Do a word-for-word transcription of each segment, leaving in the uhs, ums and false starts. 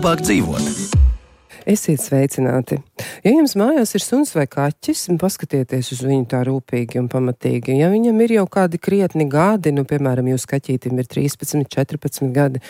labāk dzīvot. Esiet sveicināti. Ja jums mājās ir suns vai kaķis, paskatieties uz viņu tā rūpīgi un pamatīgi. Ja viņam ir jau kādi krietni gadi, nu, piemēram, jūs kaķītim ir trīspadsmit, četrpadsmit gadi,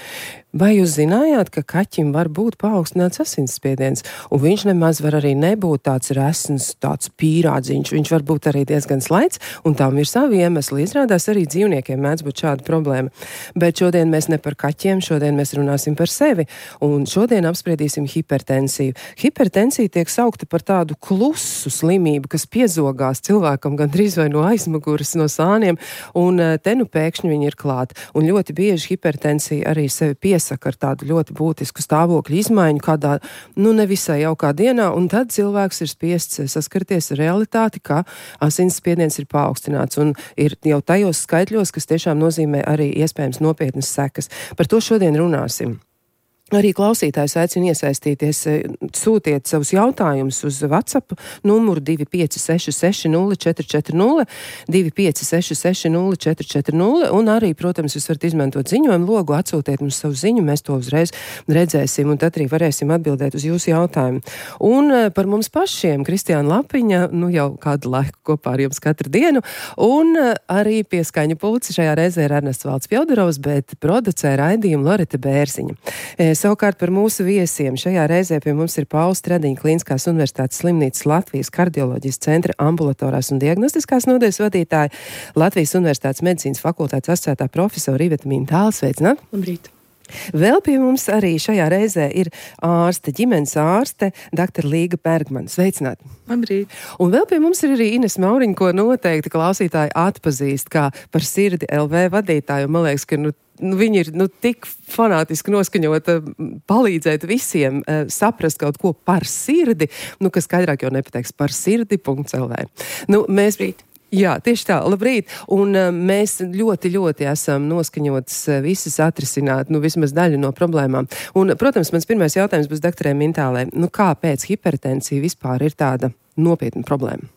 vai jūs zinājāt, ka kaķim var būt paaugstināts asinsspiediens, un viņš nemaz var arī nebūt tāds resns, tāds pīrādziņš, viņš var būt arī diezgan slaids, un tam ir savi iemesli. Izrādās arī dzīvniekiem mēdz būt šāda problēma. Bet šodien mēs ne par kaķiem, šodien mēs runāsim par sevi, un šodien apspriedīsim hipertensiju. Hipertensija tiek saukta par tādu klusu slimību, kas piezogās cilvēkam gandrīz vai no aizmuguras, no sāniem, un te nu pēkšņi viņi ir klāt. Un ļoti bieži hipertensija arī sevi piesaka ar tādu ļoti būtisku stāvokļu izmaiņu kādā, nu, nevisai jaukā dienā, un tad cilvēks ir spiests saskarties ar realitāti, ka asinsspiediens ir paaugstināts, un ir jau tajos skaitļos, kas tiešām nozīmē arī iespējams nopietnas sekas. Par to šodien runāsim. Arī klausītājs aicina iesaistīties, sūtiet savus jautājumus uz WhatsApp numuru divi pieci seši seši nulle četri četri nulle, divi pieci seši seši nulle četri četri nulle, un arī, protams, jūs varat izmantot ziņojumu logu, atsūtiet mums savu ziņu, mēs to uzreiz redzēsim, un tad arī varēsim atbildēt uz jūsu jautājumu. Un par mums pašiem Kristiāna Lapiņa, nu jau kādu laiku kopā ar jums katru dienu, un arī pie skaņu pulca šajā reizē ir Ernests Valds Pjaudarovs, bet producē raidījumu Loreta Bērziņa. Savukārt par mūsu viesiem šajā reizē pie mums ir Pauls Stradiņa Kliniskās universitātes slimnīcas Latvijas kardioloģijas centra ambulatorās un diagnostiskās nodaļas vadītāja, Latvijas universitātes medicīnas fakultātes asociētā profesora Iveta Mintāla. Sveicināt! Labrīt! Vēl pie mums arī šajā reizē ir ārste, ģimenes ārste, doktora Līga Bergmana. Sveicināt! Labrīt! Un vēl pie mums ir arī Ines Mauriņa, ko noteikti klausītāji atpazīst kā par Sirdi L V vadītāju. Man liekas, ka nu, nu, viņi ir nu, tik fanātiski noskaņota palīdzēt visiem uh, saprast kaut ko par sirdi, nu, kas skaidrāk jau nepateiks par sirdi punkt L V. Nu, mēs... Labrīt! Jā, tieši tā, labrīt, un uh, mēs ļoti, ļoti esam noskaņotas uh, visas atrisināt, nu, vismaz daļu no problēmām. Un, protams, mans pirmais jautājums būs doktorai Mintālai, nu, kāpēc hipertensija vispār ir tāda nopietna problēma?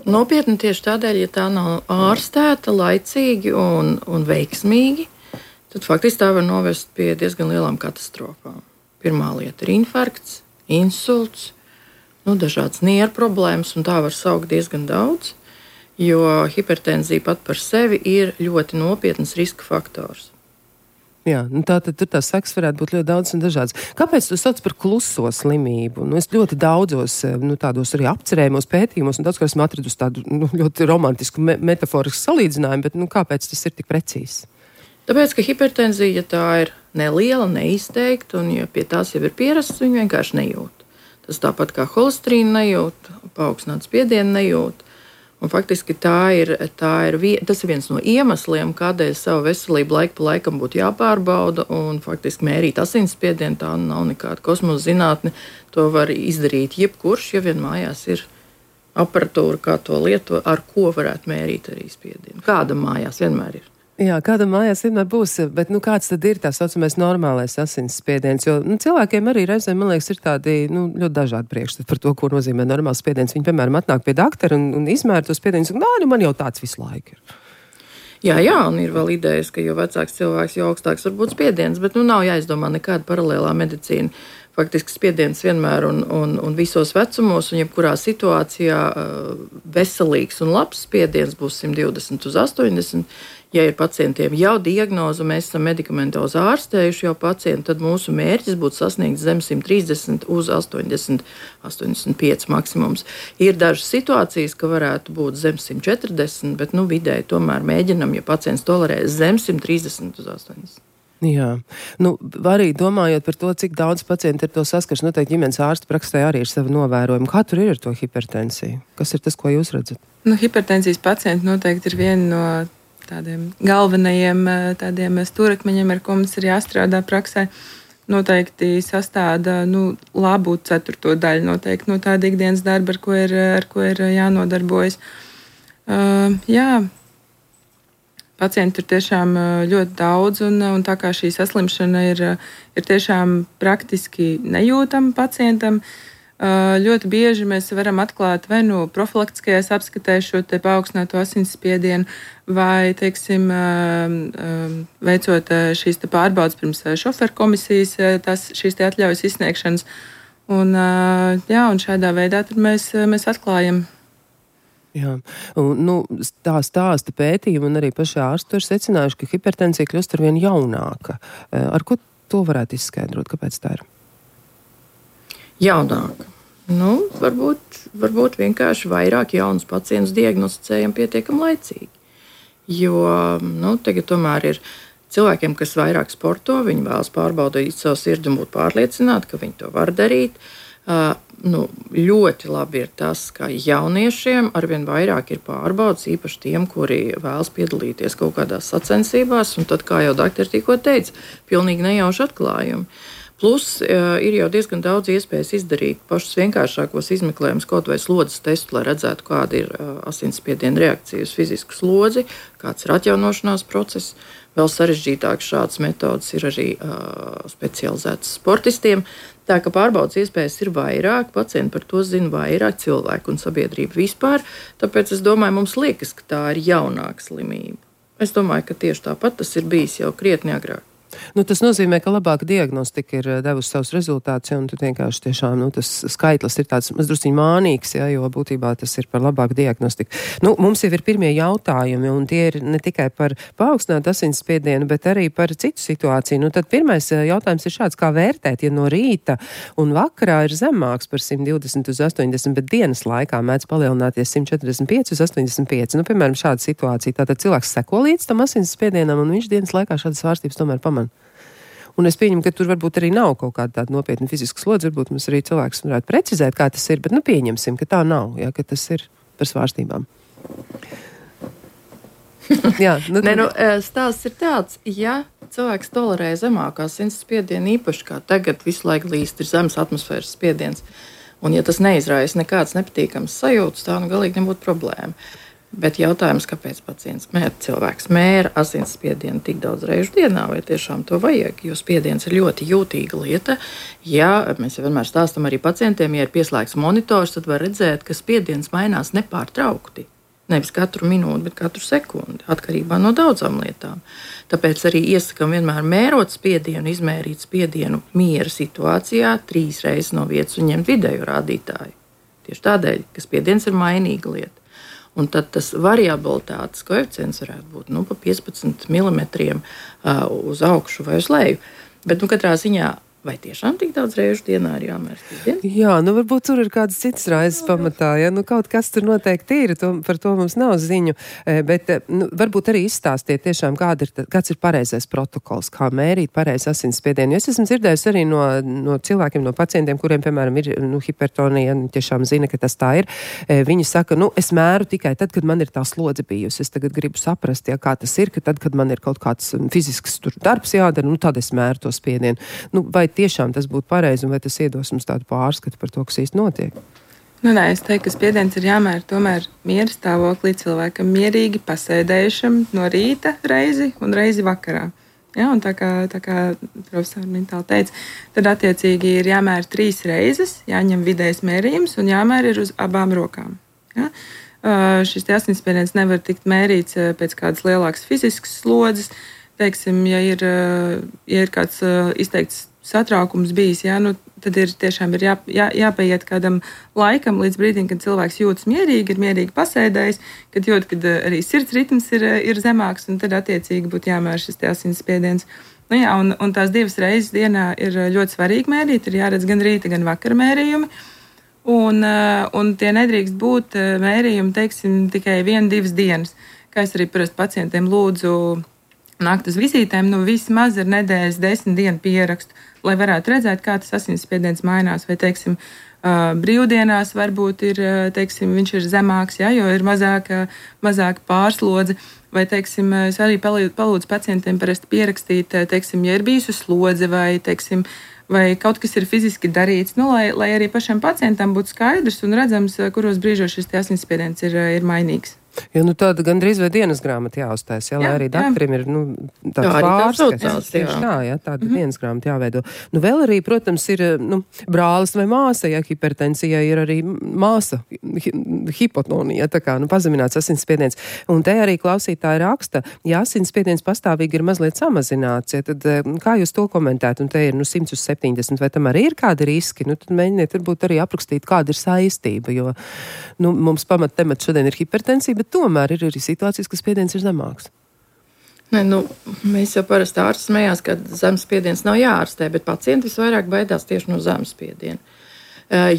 Nopietni tieši tādēļ, ja tā nav ārstēta laicīgi un, un veiksmīgi, tad faktiski tā var novest pie diezgan lielām katastrofām. Pirmā lieta ir infarkts, insults, nu, dažādas nieru problēmas, un tā var saukt diezgan daudz, jo hipertenzija pat par sevi ir ļoti nopietns riska faktors. Jā, nu tā tad tur tās sekas varētu būt ļoti daudz un dažādas. Kāpēc tu sauc par kluso slimību? Nu, es ļoti daudzos, nu, tādos arī apcerējumos pētījumos, un daudz, kā esmu atradusi tādu, nu, ļoti romantisku, me metaforisku salīdzinājumu, bet, nu, kāpēc tas ir tik precīzi? Tāpēc, ka hipertenzija, ja tā ir neliela, neizteikta, un ja pie tās jau ir pierasts, viņi vienkārši nejūt. Tas tāpat kā holesterīnu nejūt, paaugstinātu spiedienu nejūt. Un faktiski tā ir, tā ir, tas ir viens no iemesliem, kādēļ savu veselību laiku pa laikam būtu jāpārbauda un faktiski mērīt asinsspiedienu. Tā nav nekāda kosmosa zinātne. To var izdarīt jebkurš, ja vien mājās ir aparatūra, kā to lieto, ar ko varētu mērīt arī spiedienu. Kāda mājās vienmēr ir. Jā, kāda mājās vienmēr būs, bet nu, kāds tad ir tā saucamais normālais asinsspiediens? Jo nu, cilvēkiem arī reizēm, man liekas, ir tādi nu, ļoti dažādi priekšstati par to, ko nozīmē normāls spiediens. Viņi, piemēram, atnāk pie doktora un, un izmēra to spiedienu un saka, nā, nu, man jau tāds visu laiku ir. Jā, jā, un ir vēl idejas, ka jo vecāks cilvēks, jo augstāks var būt spiediens, bet nu, nav jāizdomā nekāda paralēlā medicīna. Faktiski spiediens vienmēr un, un, un visos vecumos un jebkurā situācijā veselīgs un labs spiediens būs simt divdesmit uz astoņdesmit. Ja ir pacientiem jau diagnoze, mēs esam medikamentozi ārstējuši jau pacientu, tad mūsu mērķis būtu sasniegt zem simt trīsdesmit uz astoņdesmit, astoņdesmit pieci maksimums. Ir dažas situācijas, ka varētu būt zem simt četrdesmit, bet nu, vidēji tomēr mēģinam, ja pacients tolerē zem simt trīsdesmit uz astoņdesmit. Jā, nu, arī domājot par to, cik daudz pacienti ar to saskars, noteikti ģimenes ārsta praksē arī ir savi novērojumi. Kā tur ir ar to hipertensiju? Kas ir tas, ko jūs redzat? Nu, hipertensijas pacienti noteikti ir viena no tādiem galvenajiem tādiem stūrakmeņiem, ar ko mums ir jāstrādā praksē. Noteikti sastāda nu, labu ceturto daļu noteikti no tāda ikdienas darba, ar ko ir, ar ko ir jānodarbojas. Uh, jā, pacienti ir tiešām ļoti daudz, un, un tā kā šī saslimšana ir, ir tiešām praktiski nejūtama pacientam, Ļoti bieži mēs varam atklāt vai nu profilaktiskajās apskatēs šo te paaugstināto asinsspiedienu, vai, teiksim, veicot šīs te pārbaudas pirms šoferu komisijas, tas, šīs te atļaujas izsniegšanas. Un, jā, un šādā veidā tad mēs, mēs atklājam. Jā, un, nu, tā stāsta pētījumi un arī paši ārsti ir secinājuši, ka hipertensija kļūst arvien jaunāka. Ar ko to varētu izskaidrot? Kāpēc tā ir? Jaunāka. Nu, varbūt, varbūt vienkārši vairāk jaunus pacientus diagnosticējam pietiekami laicīgi. Jo nu, tagad tomēr ir cilvēkiem, kas vairāk sporto, viņi vēlas pārbaudīt savu sirdi un būt pārliecināti, ka viņi to var darīt. Uh, nu, ļoti labi ir tas, ka jauniešiem arvien vairāk ir pārbaudas, īpaši tiem, kuri vēlas piedalīties kaut kādās sacensībās, un tad, kā jau doktori tikko teica, pilnīgi nejauši atklājumi. Plus uh, ir jau diezgan daudz iespējas izdarīt pašus vienkāršākos izmeklējumus, kaut vai slodzes testu, lai redzētu, kāda ir uh, asinsspiediena reakcija uz fizisku slodzi, kāds ir atjaunošanās process. Vēl sarežģītākas šādas metodas ir arī uh, specializētas sportistiem. Tā ka pārbaudas iespējas ir vairāk, pacienti par to zina vairāk, cilvēku un sabiedrība vispār. Tāpēc es domāju, mums liekas, ka tā ir jaunāka slimība. Es domāju, ka tieši tāpat tas ir bijis jau krietni agrāk. Nu, tas nozīmē, ka labāka diagnostika ir devusi savus rezultātus, un tu vienkārši tiešām, nu, tas skaitlis ir tāds mazdrusciņ mānīgs, ja, jo būtībā tas ir par labāku diagnostiku. Nu, mums jau ir pirmie jautājumi, un tie ir ne tikai par paaugstinātu asinsspiedienu, bet arī par citu situāciju. Nu, tad pirmais jautājums ir šāds, kā vērtēt, ja no rīta un vakarā ir zemāks par simt divdesmit uz astoņdesmit, bet dienas laikā mēdz palielināties simt četrdesmit pieci uz astoņdesmit pieci. Nu, piemēram, šāda situācija. Tātad cilvēks seko līdz tam asinsspiedienam, un viņš dienas laikā šādas svārstības tomēr pamana. Un es pieņemu, ka tur varbūt arī nav kaut kāda tāda nopietna fiziska slodze, varbūt mums arī cilvēks varētu precizēt, kā tas ir, bet nu pieņemsim, ka tā nav, jā, ka tas ir par svārstībām. jā, nu, ne, nu, stāsts ir tāds, ja cilvēks tolerē zemākā asinsspiedienu, īpaši kā tagad visu laiku līst ir zemes atmosfēras spiediens, un ja tas neizraisa nekāds nepatīkams sajūtas, tā nu galīgi nebūtu problēma. Bet jautājums, kāpēc pacients mēra, cilvēks mēra asinsspiedienu tik daudz reižu dienā, vai tiešām to vajag, jo spiediens ir ļoti jūtīga lieta. Ja mēs jau vienmēr stāstam arī pacientiem, ja ir pieslēgts monitors, tad var redzēt, ka spiediens mainās nepārtraukti. Nevis katru minūti, bet katru sekundi, atkarībā no daudzām lietām. Tāpēc arī iesakam vienmēr mērot spiedienu, izmērīt spiedienu miera situācijā trīs reizes no vietas un ņemt vidēju rādītāju. Tieši tādēļ, ka spiediens ir mainīga lieta. Un tad tas variabilitātes koeficients varētu būt nu, pa piecpadsmit milimetriem uh, uz augšu vai uz leju. Bet nu, katrā ziņā, vai tiešām tik daudz reižu dienā ir jāmēr spiediens? Jā, nu varbūt tur ir kādas citas raizes pamatā, ja nu kaut kas tur noteikti ir, to, par to mums nav ziņu, bet nu, varbūt arī izstāstiet tiešām, kāda ir, kāds ir pareizais protokols, kā mērīt pareizi asinsspiedienu. Jo es esmu dzirdējusi arī no, no cilvēkiem, no pacientiem, kuriem, piemēram, ir nu, hipertonija, tiešām zina, ka tas tā ir. Viņi saka, nu, es mēru tikai tad, kad man ir tā slodze bijusi. Es tagad gribu saprast, ja, kā tas ir, ka tad, kad man ir kaut kāds fizisks tur darbs jādara, nu, tad es mēru to spiedienu. Nu, vai tiešām tas būtu pareizi un vai tas iedos mums tādu pārskatu par to, kas īsti notiek? Nu, nē, es teiktu, ka spiediens ir jāmēra tomēr miera stāvoklī cilvēkam mierīgi pasēdējušam no rīta reizi un reizi vakarā. Ja, un tā kā, tā kā profesori Mintāli teica, tad attiecīgi ir jāmēra trīs reizes, jāņem vidējs mērījums un jāmēra ir uz abām rokām. Ja? Uh, šis asinsspiediens nevar tikt mērīts pēc kādas lielākas fiziskas slodzes. Teiksim, ja ir, ja ir kāds izteikts satraukums bijis, jā, nu, tad ir tiešām ir jā, jā, jāpaiet kādam laikam līdz brīdim, kad cilvēks jūtas mierīgi, ir mierīgi pasēdējis, kad jūt, kad arī sirds ritms ir, ir zemāks, un tad attiecīgi būtu jāmēr šis asinsspiediens. Nu, jā, un, un tās divas reizes dienā ir ļoti svarīgi mērīt, ir jāredz gan rīta, gan vakara mērījumi, un, un tie nedrīkst būt mērījumi, teiksim, tikai viena, divas dienas. Kā es arī parasti pacientiem lūdzu nākt uz vizītēm, nu vismaz ir nedēļas desmit dienu pierakstu, lai varētu redzēt, kā tas asinsspiediens mainās, vai, teiksim, brīvdienās varbūt ir, teiksim, viņš ir zemāks, ja, jo ir mazāka, mazāka pārslodze, vai, teiksim, es arī palūdzu pacientiem parasti pierakstīt, teiksim, ja ir bijusi slodze, vai, teiksim, vai kaut kas ir fiziski darīts, nu, lai, lai arī pašam pacientam būtu skaidrs un redzams, kuros brīžos šis asinsspiediens ir, ir mainīgs. Jo, nu tāda gandrīz vai dienas grāmata jāuztais, jā, lai jā, arī daktarim ir, nu, tāds jā, pārskats. Tieši tā, jā, tāda mm-hmm. dienas grāmata jāveido. Nu, vēl arī, protams, ir, nu, brālis vai māsa, ja hipertensijai ir arī māsa, hi, hipotonija, tā kā, nu, pazemināts asinsspiediens. Un te arī klausītāji raksta, ja asinsspiediens pastāvīgi ir mazliet samazināts, ja, tad kā jūs to komentētu? Un te ir, nu, simts uz septiņdesmit, vai tam arī ir kādi riski? Nu, tad mēģiniet varbūt arī aprakstīt, kāda ir saistība, jo, nu, mums pamat temats šodien ir hipertensija, bet tomēr ir arī situācijas, ka spiediens ir zemāks. Ne, nu, mēs jau parasti ārsts smējās, ka zemes spiediens nav jāārstē, bet pacienti visvairāk baidās tieši no zemes spiediena.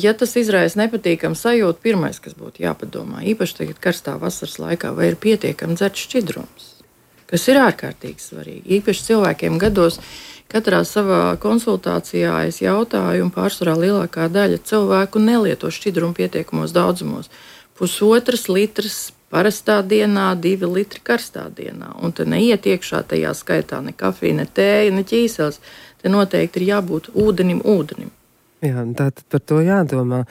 Ja tas izraisa nepatīkamu sajūtu, pirmais, kas būtu jāpadomā, īpaši tagad karstā vasaras laikā, vai ir pietiekami dzerts šķidrums, kas ir ārkārtīgi svarīgi. Īpaši cilvēkiem gados, katrā savā konsultācijā es jautāju, un pārsvarā lielākā daļa cilvēku nelieto šķidrumu pietiekumos daudzumos. Pusotras litras parastā dienā, divi litri karstā dienā. Un te neiet iekšā tajā skaitā ne kafija, ne tēja, ne ķīseles. Te noteikti ir jābūt ūdenim, ūdenim. Jā, tātad par to jādomā.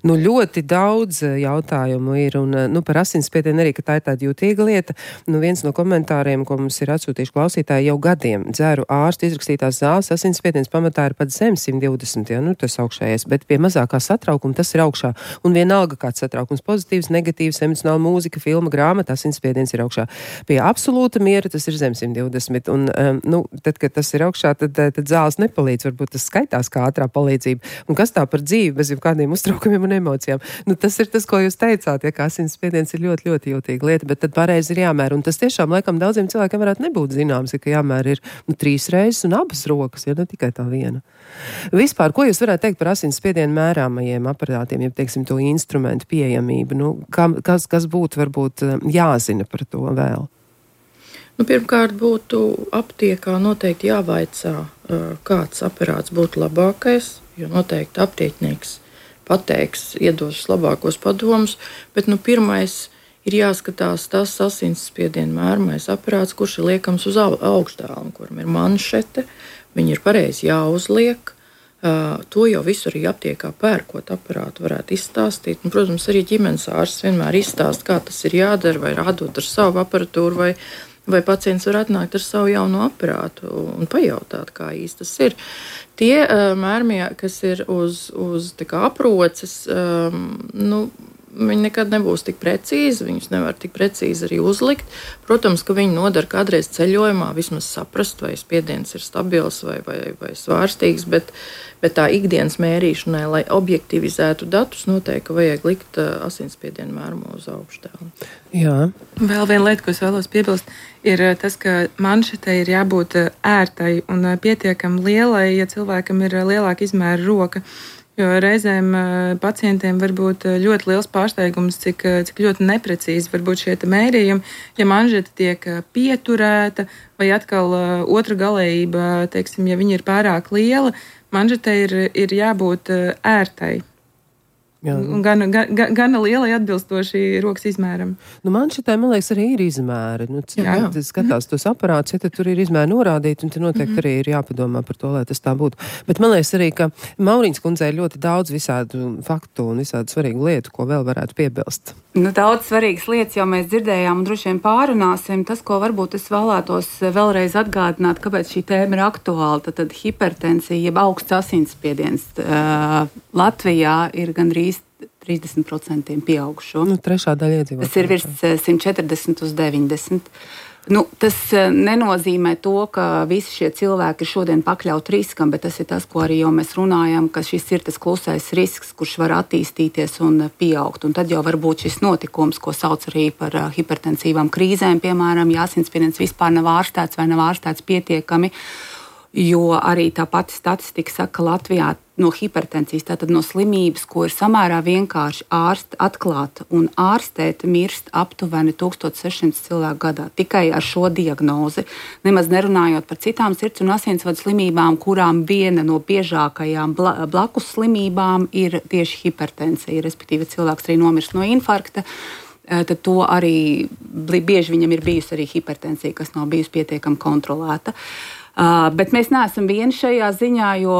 Nu, ļoti daudz jautājumu ir, un, nu, par asinsspiedienu arī, ka tā ir tāda jūtīga lieta. Nu, viens no komentāriem, ko mums ir atsūtījuši klausītāji jau gadiem, dzeru ārstu izrakstītās zāles, asinsspiediens pamatā ir pat zem simt divdesmit, ja, nu, tas augšējais, bet pie mazākā satraukuma tas ir augšā. Un vienalga kāds satraukums pozitīvs, negatīvs, emocionāla mūzika, filma, grāmata, asinsspiediens ir augšā. Pie absolūta miera tas ir zem simt divdesmit, un, um, nu, tad, kad tas ir augšā, tad, tad zāles nepalīdz, varbūt tas skaitās kā ātrā palīdzība. Un kas tā par dzīvi bez jebkādiem uztraukumiem un emocijām? Nu, tas ir tas, ko jūs teicāt, ja, ka asinsspiediens ir ļoti, ļoti jūtīga lieta, bet tad pareizi ir jāmēra. Un tas tiešām, laikam, daudziem cilvēkiem varētu nebūt zināms, ja, ka jāmēra ir nu, trīs reizes un abas rokas, ja ne tikai tā viena. Vispār, ko jūs varētu teikt par asinsspiedienu mērāmajiem aparātiem, ja, teiksim, to instrumentu pieejamību? Nu, kas, kas būtu varbūt jāzina par to vēl? Nu, pirmkārt, būtu aptiekā noteikti jāvaicā, kāds aparāts būtu labākais, jo noteikti aptieknieks pateiks, iedos labākos padomus, bet nu, pirmais ir jāskatās tas asinsspiediena mērmais aparāts, kurš ir liekams uz augšdēlnu, kuram ir manšete, viņi ir pareizi jāuzliek. Uh, to jau visu arī aptiekā pērkot aparātu varētu izstāstīt. Un, protams, arī ģimenes ārsts vienmēr izstāst, kā tas ir jādara, vai rādot ar savu aparatūru, vai vai pacients var atnākt ar savu jauno aparātu un pajautāt, kā īsti tas ir. Tie uh, mērmie, kas ir uz, uz tā kā aproces, um, nu, viņi nekad nebūs tik precīzi, viņus nevar tik precīzi arī uzlikt. Protams, ka viņi nodara kādreiz ceļojumā vismaz saprast, vai spiediens ir stabils vai, vai, vai svārstīgs, bet, bet tā ikdienas mērīšanai, lai objektivizētu datus, noteikti vajag likt uh, asinsspiedienu mērumu uz augšdēlnu. Jā. Vēl viena lieta, ko es vēlos piebilst, ir tas, ka manšetei ir jābūt ērtai un pietiekami lielai, ja cilvēkam ir lielāka izmēra roka. Jo reizēm pacientiem var būt ļoti liels pārsteigums, cik, cik ļoti neprecīzi var būt šie mērījumi. Ja manžeta tiek pieturēta vai atkal otra galējība, teiksim, ja viņa ir pārāk liela, manžetai ir, ir jābūt ērtai. Un gan, gan, gan lielai atbilstoši rokas izmēram. Nu, man šitai, man liekas, arī ir izmēri. Nu, cilvēki skatās tos aparātus, ja tur ir izmēri norādīti, un te noteikti mm-hmm. arī ir jāpadomā par to, lai tas tā būtu. Bet man liekas arī, ka Mauriņas kundzei ir ļoti daudz visādu faktu un visādu svarīgu lietu, ko vēl varētu piebilst. Nu, daudz svarīgas lietas jau mēs dzirdējām un droši vien pārunāsim. Tas, ko varbūt es vēlētos vēlreiz atgādināt, kāpēc šī tēma ir aktuāla, tad, tad hipertensija, jeb augsts asinsspiediens uh, Latvijā ir gandrīz trīsdesmit procenti pieaugušo. Nu, trešā daļa iedzīvotāju. Tas ir virs simt četrdesmit uz deviņdesmit. Nu, tas nenozīmē to, ka visi šie cilvēki ir šodien pakļauti riskam, bet tas ir tas, ko arī jau mēs runājam, ka šis ir tas klusais risks, kurš var attīstīties un pieaugt. Un tad jau var būt šis notikums, ko sauc arī par hipertensīvām krīzēm, piemēram, ja asinsspiediens vispār nav ārstēts vai nav ārstēts pietiekami, jo arī tā pati statistika saka, ka Latvijā no hipertensijas, tātad no slimības, ko ir samērā vienkārši ārst, atklāt un ārstēt, mirst aptuveni tūkstoš sešsimt cilvēku gadā. Tikai ar šo diagnozi, nemaz nerunājot par citām sirds un asinsvadu slimībām, kurām viena no biežākajām blakus slimībām ir tieši hipertensija, respektīvi cilvēks arī nomirst no infarkta. Tad to arī bieži viņam ir bijusi arī hipertensija, kas nav bijusi pietiekami kontrolēta. Uh, bet mēs neesam vieni šajā ziņā, jo,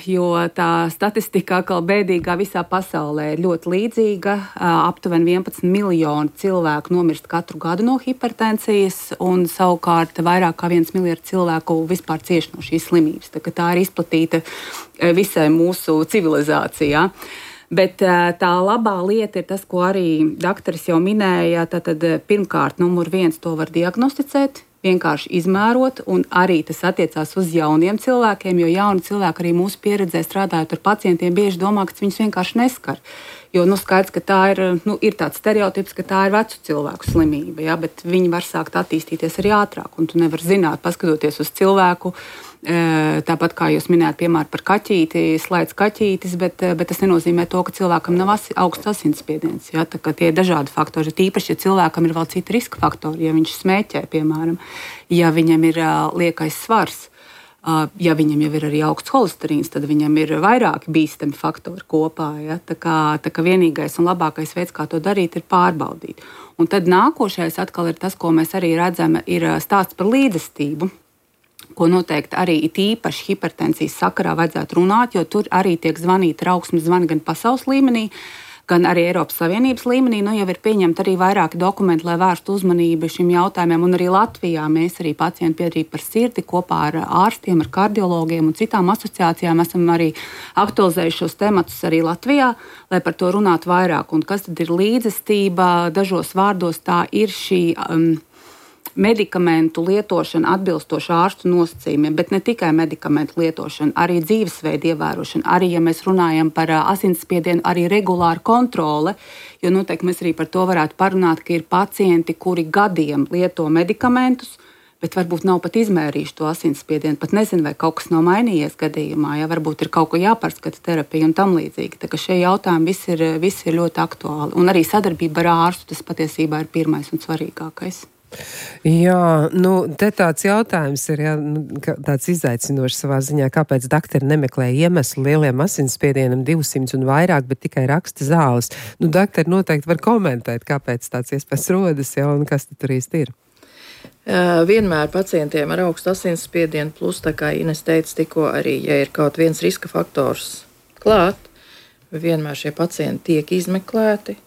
jo tā statistika atkal bēdīgā visā pasaulē ir ļoti līdzīga. Uh, aptuveni vienpadsmit miljoni cilvēku nomirst katru gadu no hipertensijas, un savukārt vairāk kā viens miljards cilvēku vispār cieš no šīs slimības. Tā, tā ir izplatīta visai mūsu civilizācijā. Bet tā labā lieta ir tas, ko arī daktaris jau minēja. Tad pirmkārt, numur viens to var diagnosticēt, vienkārši izmērot, un arī tas attiecās uz jauniem cilvēkiem, jo jauni cilvēki arī mūsu pieredzē strādājot ar pacientiem bieži domā, ka viņus vienkārši neskar. Jo nu, skaidrs, ka tā ir, nu, ir tāds stereotips, ka tā ir vecu cilvēku slimība, ja, bet viņi var sākt attīstīties arī ātrāk, un tu nevar zināt, paskatoties uz cilvēku, tāpat kā jūs minējāt, piemēram, par kaķīti, slēdz kaķītis, bet, bet tas nenozīmē to, ka cilvēkam nav asi, augsts asinsspiediens. Ja, tā, tie ir dažādi faktori, tīpaši, ja cilvēkam ir vēl citi riska faktori, ja viņš smēķē, piemēram, ja viņam ir uh, liekais svars, uh, ja viņam jau ir arī augsts holesterīns, tad viņam ir vairāki bīstami faktori kopā. Ja, tā, kā, tā kā vienīgais un labākais veids, kā to darīt, ir pārbaudīt. Un tad nākošais atkal ir tas, ko mēs arī redzam, ir stāsts par līdzestību, ko noteikti arī it īpaši hipertensijas sakarā vajadzētu runāt, jo tur arī tiek zvanīti trauksmes zvani gan pasaules līmenī, gan arī Eiropas Savienības līmenī. Nu, jau ir pieņemti arī vairāki dokumenti, lai vērstu uzmanību šim jautājumiem, un arī Latvijā mēs arī pacientu biedrību par sirdi kopā ar ārstiem, ar kardiologiem un citām asociācijām esam arī aktualizējuši šos tematus arī Latvijā, lai par to runātu vairāk. Un kas tad ir līdzestība? Dažos vārdos tā ir šī um, medikamentu lietošana atbilstoši ārstu nosacījumiem, bet ne tikai medikamentu lietošana, arī dzīvesveidu ievērošana, arī, ja mēs runājam par asinsspiedienu, arī regulāra kontrole, jo noteikti mēs arī par to varētu parunāt, ka ir pacienti, kuri gadiem lieto medikamentus, bet varbūt nav pat izmērījuši to asinsspiedienu, pat nezinu, vai kaut kas nav mainījies gadījumā, ja varbūt ir kaut ko jāpārskata terapija un tam līdzīgi. Tā ka šie jautājumi visi ir, visi ir ļoti aktuāli. Un arī sadarbība ar ārstu, tas patiesībā ir pirmais un svarīgākais. Jā, nu, te tāds jautājums ir, jā, nu, tāds izaicinošs savā ziņā, kāpēc daktari nemeklē iemeslu lieliem asinsspiedienam divsimt un vairāk, bet tikai raksta zāles. Nu, daktari noteikti var komentēt, kāpēc tāds iespējas rodas, jā, un kas tur īsti ir. Uh, vienmēr pacientiem ar augstu asinsspiedienu, plus, tā kā Ines teica tikko, arī, ja ir kaut viens riska faktors klāt, vienmēr šie pacienti tiek izmeklēti.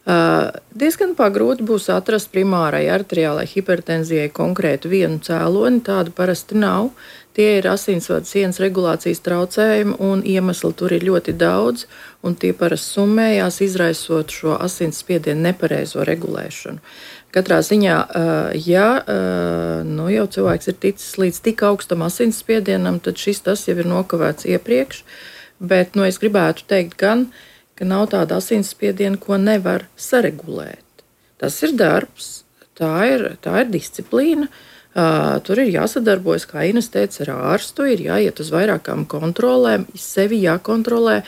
Uh, diezgan pagrūti būs atrast primārai arteriālai hipertenzijai konkrētu vienu cēloni, tādu parasti nav. Tie ir asinsvadu sienas regulācijas traucējumi, un iemesli tur ir ļoti daudz, un tie parasti summējās, izraisot šo asinsspiedienu nepareizo regulēšanu. Katrā ziņā, uh, ja uh, nu jau cilvēks ir ticis līdz tik augstam asinsspiedienam, tad šis tas jau ir nokavēts iepriekš, bet nu, es gribētu teikt gan, ka nav tāda asinsspiediena, ko nevar saregulēt. Tas ir darbs, tā ir, tā ir disciplīna, uh, tur ir jāsadarbojas, kā Ines teica, ar ārstu, ir jāiet uz vairākām kontrolēm, sevi jākontrolē,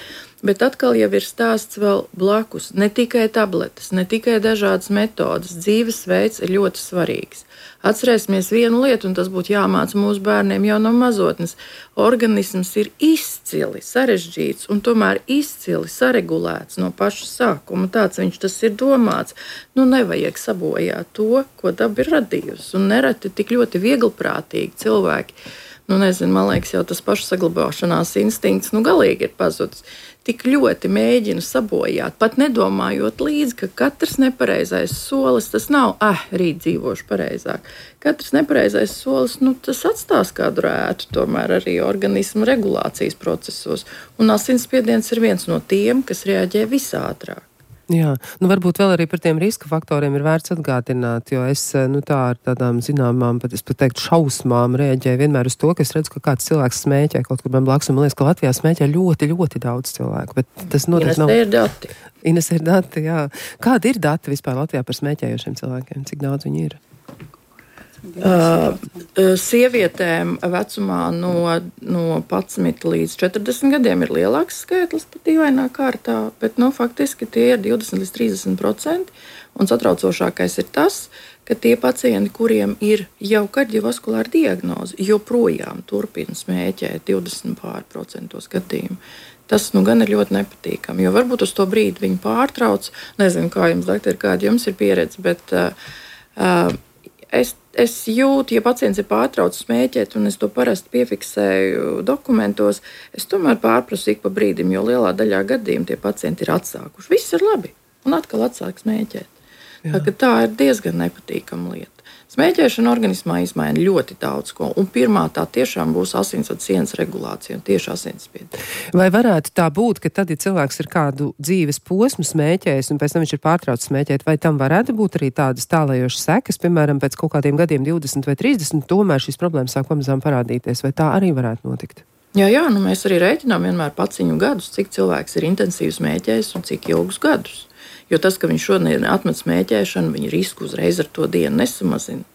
bet atkal jau ir stāsts vēl blakus. Ne tikai tabletes, ne tikai dažādas metodas, dzīvesveids ir ļoti svarīgs. Atcerēsimies vienu lietu, un tas būtu jāmāca mūsu bērniem jau no mazotnes. Organisms ir izcili sarežģīts un tomēr izcili saregulēts no paša sākuma. Tāds viņš tas ir domāts. Nu, nevajag sabojāt to, ko daba ir radījusi. Un nereti tik ļoti vieglprātīgi cilvēki, nu nezinu, man liekas, jau tas pašsaglabāšanās instinkts, nu galīgi ir pazudis. Tik ļoti mēģina sabojāt, pat nedomājot līdzi, ka katrs nepareizais solis, tas nav, ah, rīt dzīvošu pareizāk. Katrs nepareizais solis, nu, tas atstās kādu rētu tomēr arī organismu regulācijas procesos. Un asinsspiediens ir viens no tiem, kas reaģē visātrāk. Jā, nu varbūt vēl arī par tiem riska faktoriem ir vērts atgādināt, jo es, nu tā ar tādām zināmām, pat es pat teiktu šausmām reaģēju vienmēr uz to, ka es redzu, ka kāds cilvēks smēķē kaut kur man blakus, un man liekas, ka Latvijā smēķē ļoti, ļoti daudz cilvēku, bet tas noteikti nav. Ines ir dati. Ines ir dati, jā. Kādi ir dati vispār Latvijā par smēķējošiem cilvēkiem? Cik daudz viņi ir? Uh, sievietēm vecumā no, no padsmit līdz četrdesmit gadiem ir lielāks skaitlis pat dīvainā kārtā, bet nu, faktiski tie ir divdesmit līdz trīsdesmit procenti. Un satraucošākais ir tas, ka tie pacienti, kuriem ir jau kardiovaskulāra diagnoze, joprojām turpina smēķēt divdesmit pār procentos gadījumu. Tas nu gan ir ļoti nepatīkami, jo varbūt uz to brīdi viņi pārtrauc. Nezinu, kā jums, doktori, kāda jums ir pieredze, bet uh, uh, es es jūtu, ja pacients ir pārtraucis smēķēt, un es to parasti piefiksēju dokumentos, es tomēr pārprasu ik pa brīdim, jo lielā daļā gadījumu tie pacienti ir atsākuši. Viss ir labi, un atkal atsāk smēķēt. Tā, tā ir diezgan nepatīkama lieta. Smēķēšana organismā izmaina ļoti daudz ko, un pirmā tā tiešām būs asinsvadu sienas regulācija un tieši asinsspiediens. Vai varētu tā būt, ka tad, ja cilvēks ir kādu dzīves posmu smēķējis un pēc tam viņš ir pārtraucis smēķēt, vai tam varētu būt arī tādas tālējošas sekas, piemēram, pēc kaut kādiem gadiem divdesmit vai trīsdesmit, tomēr šīs problēmas sāk pamazām parādīties, vai tā arī varētu notikt? Jā, jā, nu mēs arī rēķinām vienmēr paciņu gadus, cik cilvēks ir intensīvi smēķējis un cik ilgus gadus. Jo tas, ka viņš šodien atmet smēķēšanu, viņa risku uzreiz ar to dienu nesamazina.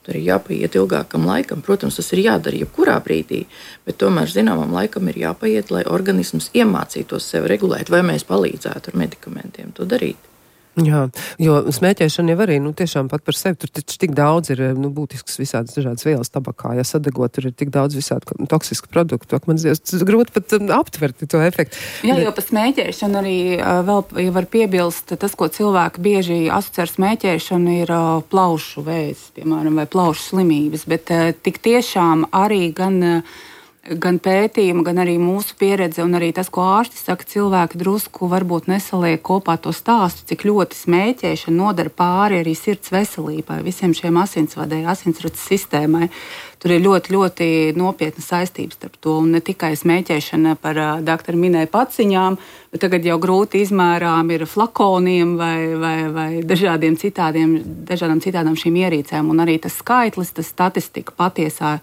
Tur ir jāpaiet ilgākam laikam. Protams, tas ir jādara jebkurā brīdī, bet tomēr zināmam laikam ir jāpaiet, lai organisms iemācītos sevi regulēt, vai mēs palīdzētu ar medikamentiem to darīt. Jā, jo smēķēšana jau arī, nu, tiešām pat par sevi, tur taču tik daudz ir, nu, būtisks visādas dažādas vielas tabakā, ja sadegot, tur ir tik daudz visādi toksisku produktu, ak man zināms, tas grūti pat aptvert to efektu. Jā, jo par smēķēšanu arī vēl ja var piebilst, tas, ko cilvēki bieži asociē ar smēķēšanu, ir plaušu vēzis, piemēram, vai plaušu slimības, bet tik tiešām arī gan gan pētījumi, gan arī mūsu pieredze un arī tas, ko ārsti saka, cilvēki drusku varbūt nesaliek kopā to stāstu, cik ļoti smēķēšana nodara pāri arī sirds veselībai, visiem šiem asinsvadai, asinsrats sistēmai. Tur ir ļoti, ļoti nopietna saistības starp to, un ne tikai smēķēšana par doktora minēja paciņām, bet tagad jau grūti izmērām ir flakoniem vai, vai, vai dažādiem citādiem, dažādām citādām šīm ierīcēm, un arī tas skaitlis, tas statistika patiesā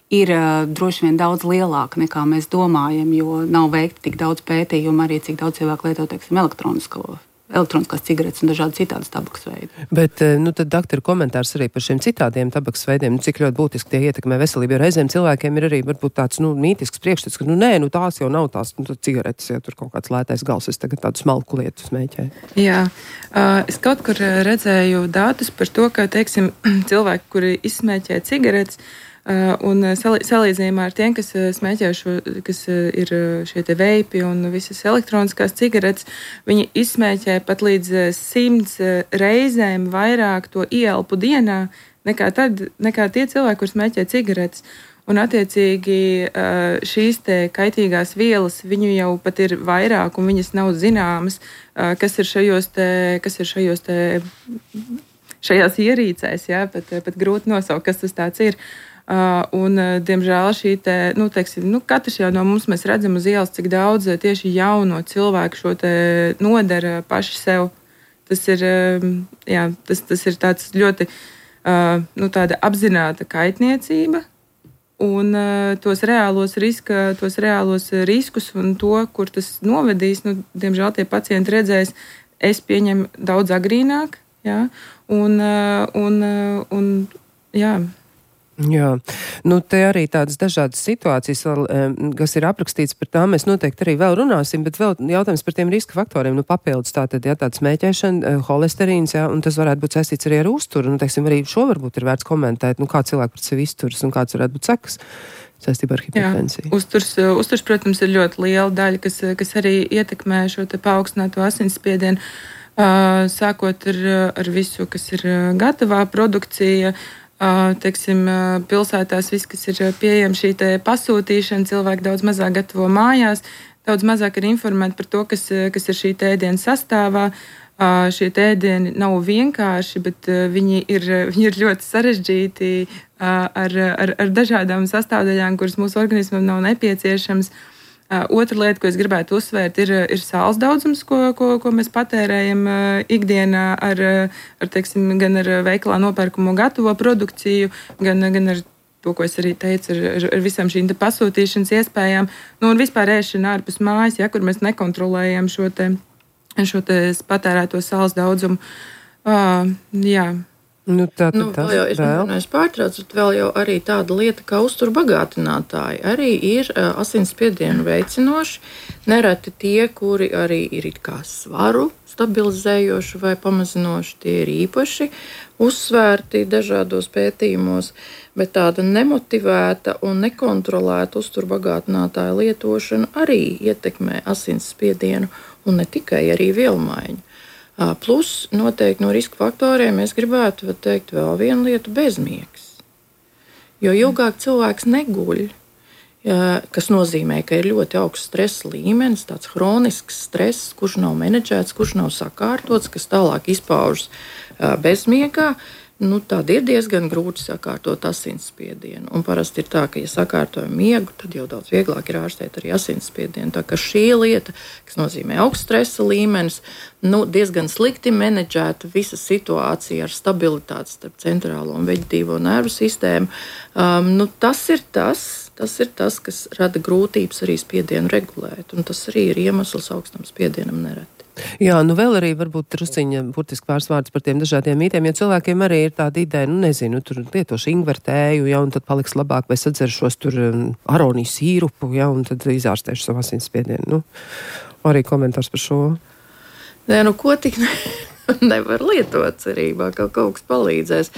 ir uh, droši vien daudz lielāka nekā mēs domājam, jo nav veikti tik daudz pētījumu arī, cik daudz cilvēku lieto, teiksim, elektronisko, elektroniskās cigaretes un dažādi citādas tabakas veidi. Bet, nu, tad doktora komentārs arī par šiem citādiem tabakas veidiem, nu, cik ļoti būtiski tie ietekmē veselību, jo reizēm cilvēkiem ir arī varbūt tāds, nu, mītisks priekšstats, ka, nu, nē, nu, tās jau nav tās, nu, cigaretes, ja tur kaut kāds lētais gals, es tagad tādu smalku lietu smēķēju. Jā, uh, es kaut kur redzēju datus par to, ka, teiksim, cilvēki, kuri izsmēķē cigaretes, Uh, un salīdzinājumā ar tiem, kas smēķē šo, kas ir šie te veipi un visas elektroniskās cigaretes, viņi izsmēķē pat līdz simts reizēm vairāk to ieelpu dienā nekā, tad, nekā tie cilvēki, kur smēķē cigaretes. Un attiecīgi šīs te kaitīgās vielas, viņu jau pat ir vairāk un viņas nav zināmas, kas ir šajos te, kas ir šajos te, šajās ierīcēs, jā, pat, pat grūti nosaukt, kas tas tāds ir. Uh, un, diemžēl, šī te, nu, teiksim, nu, katrs jau no mums mēs redzam uz ielas, cik daudz tieši jauno cilvēku šo te nodara paši sev. Tas ir, jā, tas, tas ir tāds ļoti, uh, nu, tāda apzināta kaitniecība un uh, tos reālos riska, tos reālos riskus un to, kur tas novedīs, nu, diemžēl tie pacienti redzēs, es pieņemu daudz agrīnāk, jā, un, uh, un, uh, un jā. Jā, nu te arī tādas dažādas situācijas, kas ir aprakstīts par tām, mēs noteikti arī vēl runāsim, bet vēl jautājums par tiem riska faktoriem, nu papildus tātad, jā, tāds smēķēšana, holesterīns, jā, un tas varētu būt saistīts arī ar uzturu, nu, teiksim, arī šo varbūt ir vērts komentēt, nu, kā cilvēki pret sevi izturas un kāds varētu būt sekas saistībā ar hipertensiju. Jā, uzturs, uzturs, protams, ir ļoti liela daļa, kas, kas arī ietekmē šo te paaugstināto asinsspiedienu, sākot ar, ar visu, kas ir gatavā produkcija. Uh, teiksim, pilsētās viss, kas ir pieejams, šī pasūtīšana, cilvēki daudz mazāk gatavo mājās, daudz mazāk ir informēti par to, kas, kas ir šī ēdiena sastāvā. Uh, šie ēdieni nav vienkārši, bet uh, viņi, ir, viņi ir ļoti sarežģīti uh, ar, ar, ar dažādām sastāvdaļām, kuras mūsu organismam nav nepieciešams. Uh, otra lieta, ko es gribētu uzsvērt, ir, ir sāls daudzums, ko, ko, ko mēs patērējam uh, ikdienā ar, ar, teiksim, gan ar veikalā nopērkamo gatavo produkciju, gan, gan ar to, ko es arī teicu, ar, ar visām šīm pasūtīšanas iespējām. Nu, un vispār ēšana ārpus mājas, ja, kur mēs nekontrolējam šo, te, šo te patērēto sāls daudzumu. Uh, jā. Nu, tā, tā, nu, vēl jau, es nemanāju, pārtraucu, bet vēl jau arī tāda lieta kā uzturbagātinātāji arī ir uh, asinsspiedienu veicinoši. Nereti tie, kuri arī ir it kā svaru stabilizējoši vai pamazinoši, tie ir īpaši uzsvērti dažādos pētījumos, bet tāda nemotivēta un nekontrolēta uzturbagātinātāja lietošana arī ietekmē asinsspiedienu un ne tikai arī vielmaiņu. Plus, noteikti no riska faktoriem es gribētu teikt vēl vienu lietu - bezmiegs. Jo ilgāk cilvēks neguļ, kas nozīmē, ka ir ļoti augsts stresa līmenis, tāds hronisks stress, kurš nav menedžēts, kurš nav sakārtots, kas tālāk izpaužas bezmiegā, nu, tad ir diezgan grūti sakārtot asinsspiedienu. Un parasti ir tā, ka, ja sakārtojam miegu, tad jau daudz vieglāk ir ārstēt arī asinsspiedienu. Tā kā šī lieta, kas nozīmē augsts stresa līmenis, nu, diezgan slikti menedžēta visa situācija ar stabilitāti starp centrālo un veģetīvo nervu sistēmu, um, nu, tas ir tas, tas ir tas, kas rada grūtības arī spiedienu regulēt. Un tas arī ir iemesls augstam spiedienam nereti. Jā, nu vēl arī varbūt trusciņa burtiski pāris vārds par tiem dažādiem mītiem, jo cilvēkiem arī ir tāda ideja, nu nezinu, tur lietošu ingvertēju, ja, un tad paliks labāk, vai sadzeršos tur aroniju sīrupu, ja, un tad izārstēšu savu asinsspiedienu. Nu, arī komentārs par šo. Nē, nu ko tik ne, nevar lietot cerībā, ka kaut kas palīdzēs.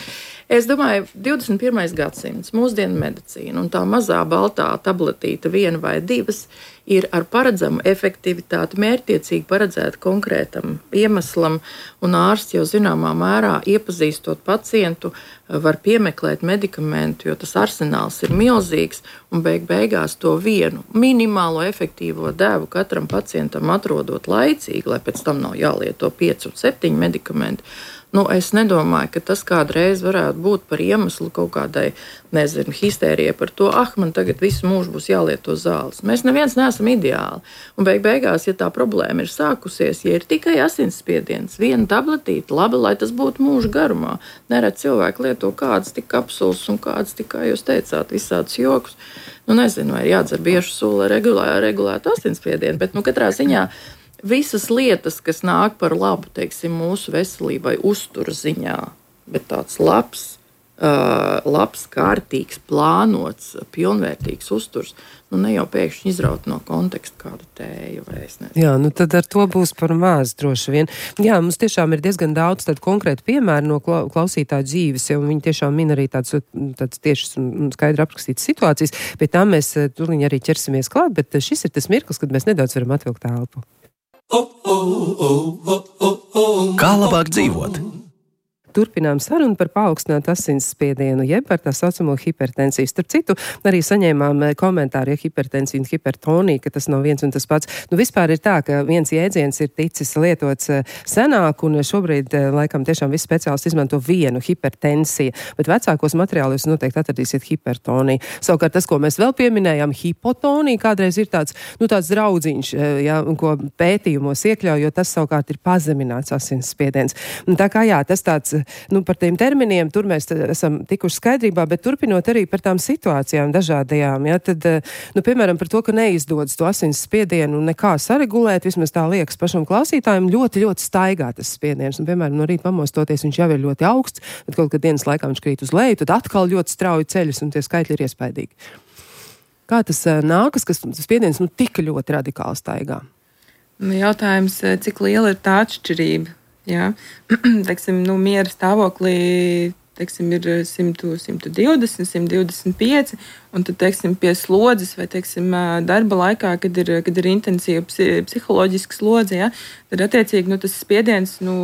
Es domāju, divdesmit pirmais gadsimts, mūsdienu medicīna un tā mazā baltā tabletīta viena vai divas ir ar paredzamu efektivitāti, mērķtiecīgi paredzēta konkrētam iemeslam, un ārsts jau zināmā mērā iepazīstot pacientu var piemeklēt medikamentu, jo tas arsenāls ir milzīgs, un beig beigās to vienu minimālo efektīvo devu katram pacientam atrodot laicīgi, lai pēc tam nav jālieto pieci un septiņi medikamenti. Nu, es nedomāju, ka tas kādreiz varētu būt par iemeslu kaut kādai, nezinu, histērijai par to, ah, man tagad visu mūžu būs jālieto zāles. Mēs neviens neesam ideāli. Un beig beigās, ja tā problēma ir sākusies, ja ir tikai asinsspiediens, viena tabletīte, labi, lai tas būtu mūža garumā. Nerad cilvēki lieto kādas tik kapsulas un kādas tik, kā jūs teicāt, visādus jokus. Nu, nezinu, vai ir jādzer biežu sulu, lai regulētu, regulētu asinsspiedienu, bet, nu, katrā ziņā visas lietas, kas nāk par labu, teiksim, mūsu veselībai uztura ziņā, bet tāds labs, uh, labs, kārtīgs, plānots, pilnvērtīgs uzturs, nu ne jau pēkšņi izraut no konteksta kādu tēju vai es nezinu. Jā, nu tad ar to būs par maz droši vien. Jā, mums tiešām ir diezgan daudz tādu konkrētu piemēru no klausītāju dzīves, jo viņi tiešām min arī tāds, tāds tiešas un skaidri aprakstītas situācijas, pie tā mēs tūlīt arī ķersimies klāt, bet šis ir tas mirklis, kad mēs nedaudz varam atvilkt elpu. Kā labāk dzīvot? Turpinām sarunu par paaugstinātu asinsspiedienu, jeb par tā saucamo hipertensiju. Starp citu, arī saņēmām komentāru, ja hipertensija un hipertonija, ka tas nav viens un tas pats. Nu, vispār ir tā, ka viens jēdziens ir ticis lietots senāk, un šobrīd, laikam, tiešām visi speciālisti izmanto vienu hipertensiju, bet vecākos materiālos noteikti atradīsiet hipertoniju. Savukārt tas, ko mēs vēl pieminējām, hipotonija, kādreiz ir tāds, nu, tāds draudziņš, ja, ko pētījumos iekļauj, jo tas savukārt ir pazemināts asinsspiediens. Un tā kā jā, tas tāds Nu, par tiem terminiem tur mēs esam tikuši skaidrībā, bet turpinot arī par tām situācijām dažādajām, ja, tad, nu, piemēram, par to, ka neizdodas to asins spiedienu nekā saregulēt, vismaz tā liekas pašam klausītājiem, ļoti, ļoti staigā tas spiediens. Un, piemēram, no rīta pamostoties viņš jau ir ļoti augsts, bet kaut kad dienas laikā viņš krīt uz leju, tad atkal ļoti strauji ceļas un tie skaitļi ir iespaidīgi. Kā tas nākas, kas tas spiediens nu, tik ļoti radikāli staigā? Nu, jautājums, cik liela ir tā atšķirība? Jā, teiksim, nu, miera stāvoklī teiksim, ir simt, simt divdesmit, simt divdesmit pieci, un tad, teiksim, pie slodzes vai, teiksim, darba laikā, kad ir, kad ir intensīva psiholoģiska slodze, ja, tad, attiecīgi, nu, tas spiediens, nu,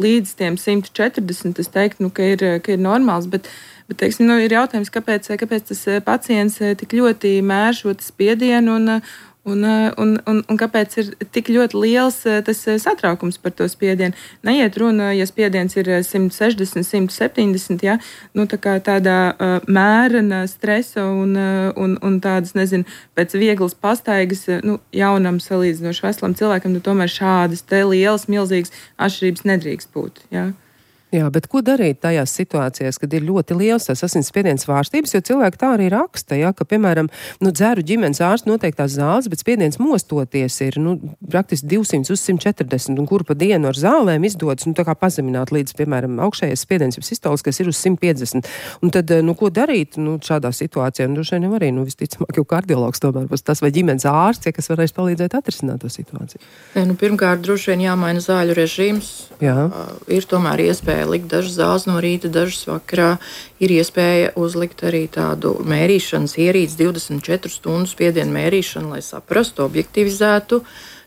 līdz tiem simt četrdesmit, es teiktu, nu, ka ir, ka ir normāls, bet, bet teiksim, nu, ir jautājums, kāpēc, kāpēc tas pacients tik ļoti mēr šo spiedienu un Un, un, un, un kāpēc ir tik ļoti liels tas satraukums par to spiedienu? Neiet runa, ja spiediens ir simt sešdesmit, simt septiņdesmit, ja, nu, tā kā tādā uh, mērena stresa un, uh, un, un tādas, nezinu, pēc vieglas pastaigas, nu, jaunam salīdzinoši veselam cilvēkam, nu, tomēr šādas te lielas, milzīgas atšķirības nedrīkst būt, ja. Jā, bet ko darīt tajās situācijās, kad ir ļoti liels tas asinsspiediens svārstības, jo cilvēki tā arī raksta, ja, ka, piemēram, nu, dzeru ģimenes ārsts noteiktās zāles, bet spiediens mostoties ir, nu, praktiski divsimt uz simt četrdesmit, un kur pa dienu ar zālēm izdodas, nu, tā kā pazemināt līdz, piemēram, augšējais spiediens, jau sistoliskais, kas ir uz simt piecdesmit. Un tad, nu, ko darīt, nu, šādā situācijā? Nu, droši vien arī, nu, visticamāk, jau kardiologs tomēr būs tas vai ģimenes ārsts, ja, kas varēs palīdzēt atrisināt to situāciju. Ja, nu, pirmkārt, droši vien jāmaina zāļu režīms. Jā. Uh, ir tomēr iespēja likt dažas zāles no rīta, dažas vakarā. Ir iespēja uzlikt arī tādu mērīšanas ierīci, divdesmit četru stundu spiedienu mērīšanu, lai saprastu, objektivizētu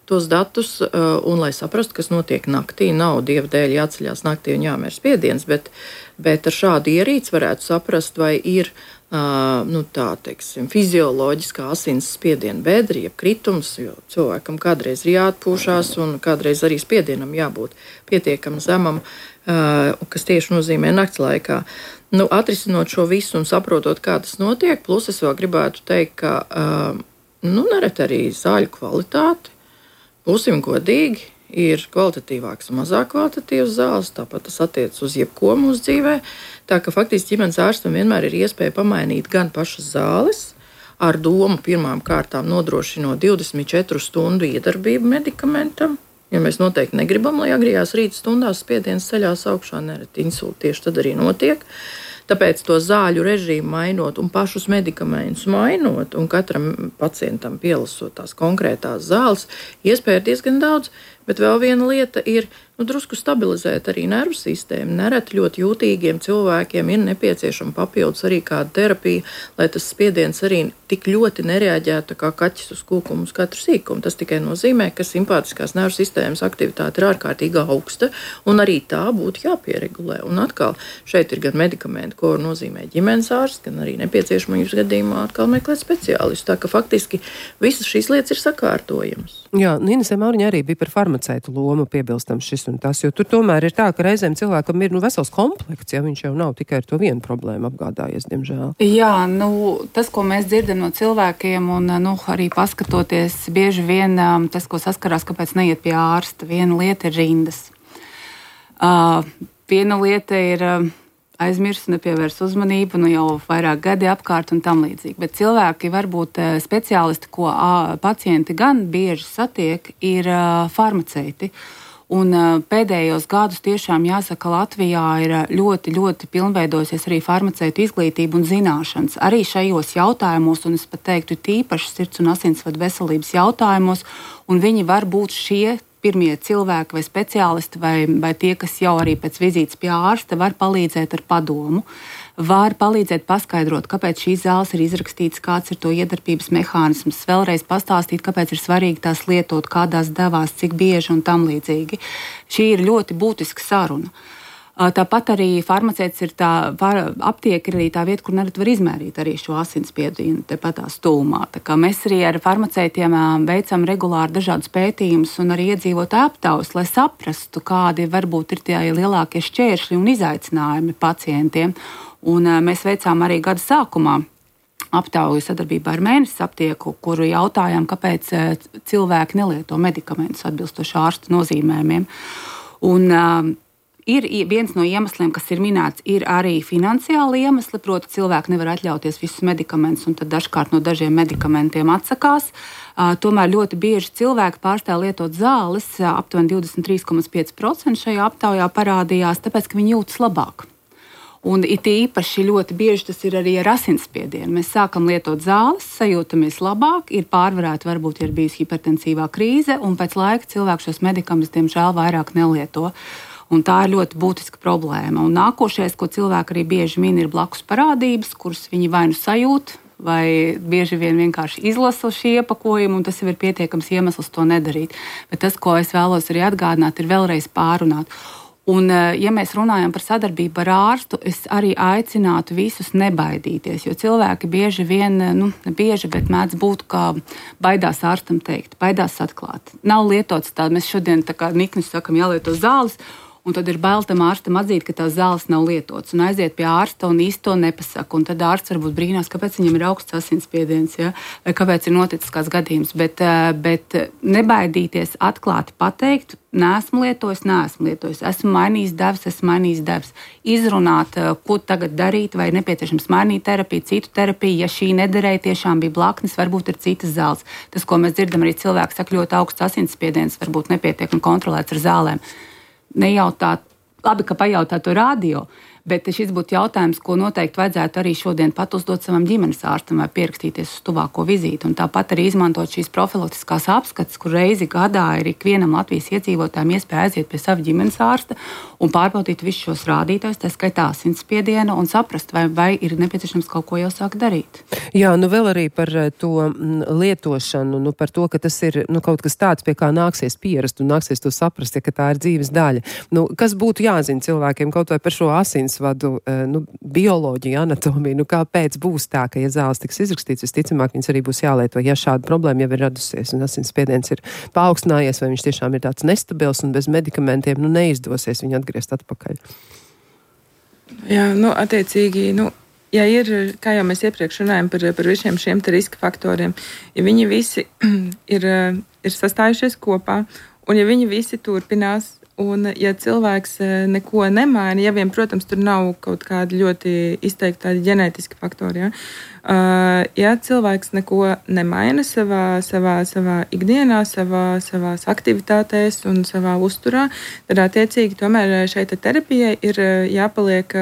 tos datus, un lai saprastu, kas notiek naktī, nav dieva dēļ jāceļās naktī un jāmēr spiediens, bet, bet ar šādu ierīci varētu saprast, vai ir Uh, nu tā, teiksim, fizioloģiskā asins spiediena bedri, jeb kritums, jo cilvēkam kādreiz ir jāatpūšās un kādreiz arī spiedienam jābūt pietiekam zemam, uh, kas tieši nozīmē nakts laikā. Nu, atrisinot šo visu un saprotot, kā tas notiek, plus es vēl gribētu teikt, ka uh, nu, nereti arī zāļu kvalitāte, būsim godīgi, ir kvalitatīvāks un mazāk kvalitatīvs zāles, tāpat tas attiecas uz jebko mūsu dzīvē. Tā ka faktiski ģimenes ārstam vienmēr ir iespēja pamainīt gan pašas zāles, ar domu pirmām kārtām nodrošinot divdesmit četru stundu iedarbību medikamentam. Ja mēs noteikti negribam, lai agrījās rīta stundās spiediens ceļās augšā, nereti insulti tieši tad arī notiek. Tāpēc to zāļu režīmu mainot un pašus medikamentus mainot un katram pacientam pielasot tās konkrētās zāles, iespēja ir diezgan daudz, bet vēl viena lieta ir nu, drusku stabilizēt arī nervu sistēmu. Nereti ļoti jūtīgiem cilvēkiem ir nepieciešama papildus arī kāda terapija, lai tas spiediens arī tik ļoti nereaģētu kā kaķis uz kūkumu uz katru sīkumu. Tas tikai nozīmē, ka simpātiskās nervu sistēmas aktivitāte ir ārkārtīgi augsta un arī tā būtu jāpieregulē. Un atkal šeit ir gan medikamenti, ko nozīmē ģimenes ārsts, gan arī nepieciešamības gadījumā atkal meklēt speciālistu. Tā ka faktiski visas šīs lietas ir sakārtojamas. Jā, Inesē Mauriņa arī bija par farmaceitu lomu piebilstam šis un tas, jo tur tomēr ir tā, ka reizēm cilvēkam ir nu, vesels komplekts, ja viņš jau nav tikai ar to vienu problēmu apgādājies, diemžēl. Jā, nu, tas, ko mēs dzirdam no cilvēkiem un nu, arī paskatoties, bieži vien tas, ko saskarās, kāpēc neiet pie ārsta, viena lieta ir rindas. Uh, viena lieta ir uh, aizmirst, nepievērs uzmanību, nu jau vairāk gadi apkārt un tam līdzīgi. Bet cilvēki, varbūt speciālisti, ko a, pacienti gan bieži satiek, ir a, farmaceiti. Un a, pēdējos gadus tiešām jāsaka, Latvijā ir ļoti, ļoti pilnveidojusies arī farmaceitu izglītība un zināšanas. Arī šajos jautājumos, un es pat teiktu tīpaši sirds un asinsvadu veselības jautājumos, un viņi var būt šie pirmie cilvēki vai speciālisti vai, vai tie, kas jau arī pēc vizītes pie ārsta var palīdzēt ar padomu, var palīdzēt paskaidrot, kāpēc šīs zāles ir izrakstītas, kāds ir to iedarbības mehānisms, vēlreiz pastāstīt, kāpēc ir svarīgi tās lietot, kādās devās, cik bieži un tam līdzīgi. Šī ir ļoti būtiska saruna. Tāpat arī farmaceits ir tā, aptieka ir arī tā vieta, kur nerad var izmērīt arī šo asinsspiedienu tepat tās tūmā. Tā kā mēs arī ar farmaceitiem veicam regulāri dažādus pētījumus un arī iedzīvotāju aptaujas, lai saprastu, kādi varbūt ir tie lielākie šķēršļi un izaicinājumi pacientiem. Un mēs veicām arī gada sākumā aptauju sadarbībā ar Mēnesis aptieku, kuru jautājām, kāpēc cilvēki nelieto medikamentus atbilstoši ārsta nozīmējumiem. Un ir viens no iemesliem, kas ir minēts, ir arī finansiāli iemesli, proti cilvēki nevar atļauties visus medikamentus un tad dažkārt no dažiem medikamentiem atsakās. Tomēr ļoti bieži cilvēki pārstāv lietot zāles, aptuveni divdesmit trīs komats pieci procenti šajā aptaujā parādījās, tāpēc, ka viņi jūtas labāk. Un it īpaši ļoti bieži tas ir arī ar asinsspiedienu. Mēs sākam lietot zāles, sajūtamies labāk, ir pārvarēta varbūt ir bijusi hipertensīvā krīze, un pēc laika cilvēks šos medikamentus, diemžēl, vairāk nelieto. Un tā ir ļoti būtiska problēma. Un nākošais, ko cilvēki arī bieži min, ir blakus parādības, kuras viņi vai nu sajūt, vai bieži vien vienkārši izlasa šī iepakojuma, un tas jau ir pietiekams iemesls to nedarīt. Bet tas, ko es vēlos arī atgādināt, ir vēlreiz pārunāt. Un, ja mēs runājam par sadarbību ar ārstu, es arī aicinātu visus nebaidīties, jo cilvēki bieži vien, nu, ne bieži, bet mēdz būt, kā baidās ārstam teikt, baidās atklāt. Nav lietots tā, mēs šodien tā kā niknis sakam jālieto zāles, un tad ir bail tam ārstam atzīt, ka tās zāles nav lietotas, un aiziet pie ārsta un īsti to nepasaka. Un tad ārsts varbūt brīnās, kāpēc viņam ir augsts asinsspiediens, ja? Vai kāpēc ir noticis kāds gadījums. Bet, bet nebaidīties atklāti pateikt, neesmu lietojis, neesmu lietojis, esmu mainījis devas, esmu mainījis devas. Izrunāt, ko tagad darīt, vai nepieciešams mainīt terapiju, citu terapiju. Ja šī nederēja, tiešām bija blaknes, varbūt ir citas zāles. Tas, ko mēs dzirdam, arī cilvēki saka, ļoti augsts asinsspiediens, varbūt nepietiekami kontrolēts ar zālēm. Nejautāt, labi, ka pajautā to radio, Bet šis būtu jautājums, ko noteikti vajadzētu arī šodien pat uzdot savam ģimenes ārstam vai pierakstīties uz tuvāko vizīti. Un tāpat arī izmantot šīs profilaktiskās apskates, kur reizi gadā ir ikvienam Latvijas iedzīvotājiem iespēja aiziet pie sava ģimenes ārsta un pārbaudīt visus šos rādītājus, tā skaitā asinsspiedienu, un saprast, vai, vai ir nepieciešams kaut ko jau sākt darīt. Jā, nu vēl arī par to lietošanu, nu par to, ka tas ir nu, kaut kas tāds, pie kā nāksies pierast un nāksies to saprast, ja, ka tā ir dzīves daļa. Nu, kas būtu jāzina cilvēkiem kaut vai par šo asinsvadu, nu, bioloģiju, anatomiju, nu kāpēc būs tā, ka, ja zāles tiks izrakstīts, visticamāk, viņas arī būs jālieto, ja šāda problēma jau ir radusies un asinsspiediens ir paaugstinājies, vai viņš tiešām ir tāds nestabils un bez medikamentiem, nu neizdosies viņu atgriezt atpakaļ. Jā, nu, attiecīgi, nu, ja ir, kā jau mēs iepriekš runājam par, par visiem šiem te riska faktoriem, ja viņi visi ir, ir sastājušies kopā, un ja viņi visi turpinās, un ja cilvēks neko nemaina, ja vien, protams, tur nav kaut kādi ļoti izteikti tādi ģenētiski faktori, ja, uh, ja cilvēks neko nemaina savā, savā, savā ikdienā, savā, savās aktivitātēs un savā uzturā, tad attiecīgi tomēr šai terapijai ir jāpaliek,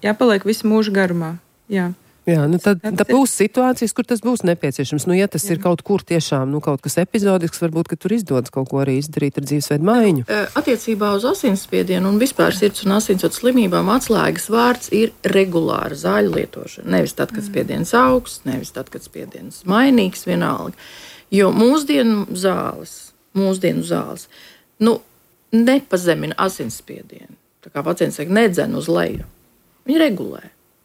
jāpaliek visu mūžu garumā. Jā. Jā, nu tad, tad būs situācijas, kur tas būs nepieciešams. Nu, ja tas Jā. ir kaut kur tiešām, nu, kaut kas epizodisks, varbūt, ka tur izdodas kaut ko arī izdarīt ar dzīvesveidu maiņu. Attiecībā uz asinsspiedienu un vispār sirds un asinsvadu slimībām atslēgas vārds ir regulāra zāļu lietošana. Nevis tad, kad spiediens augsts, nevis tad, kad spiediens mainīgs, vienalga. Jo mūsdienu zāles, mūsdienu zāles, nu, nepazemina asinsspiedienu. Tā kā pacients saka, nedzen uz leju. Viņi regulē.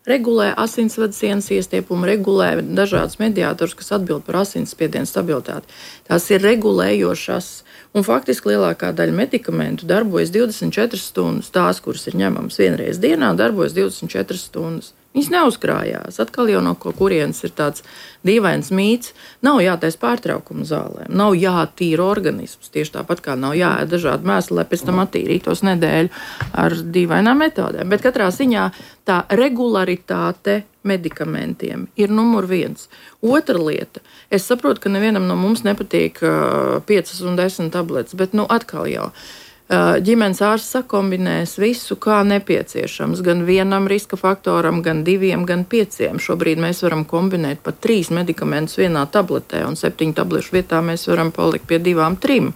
Regulē asinsvadu sienas iestiepumu, regulē dažādas mediātorus, kas atbild par asinsspiedienu stabilitāti. Tās ir regulējošas, un faktiski lielākā daļa medikamentu darbojas divdesmit četras stundas. Tās, kuras ir ņemamas vienreiz dienā, darbojas divdesmit četras stundas. Viņas neuzkrājās. Atkal jau no kurienes ir tāds dīvains mīts. Nav jātais pārtraukumu zālēm, nav jātīra organisms. Tieši tāpat kā nav jāēd dažādi mēsli, lai pēc tam attīrītos nedēļu ar dīvainām metodēm. Bet katrā ziņā tā regularitāte medikamentiem ir numur viens. Otra lieta. Es saprotu, ka nevienam no mums nepatīk uh, piecas un desmit tabletes, bet nu atkal jau. Ģimenes ārsts sakombinēs visu, kā nepieciešams, gan vienam riska faktoram, gan diviem, gan pieciem. Šobrīd mēs varam kombinēt pat trīs medikamentus vienā tabletē, un septiņu tablešu vietā mēs varam palikt pie divām, trim.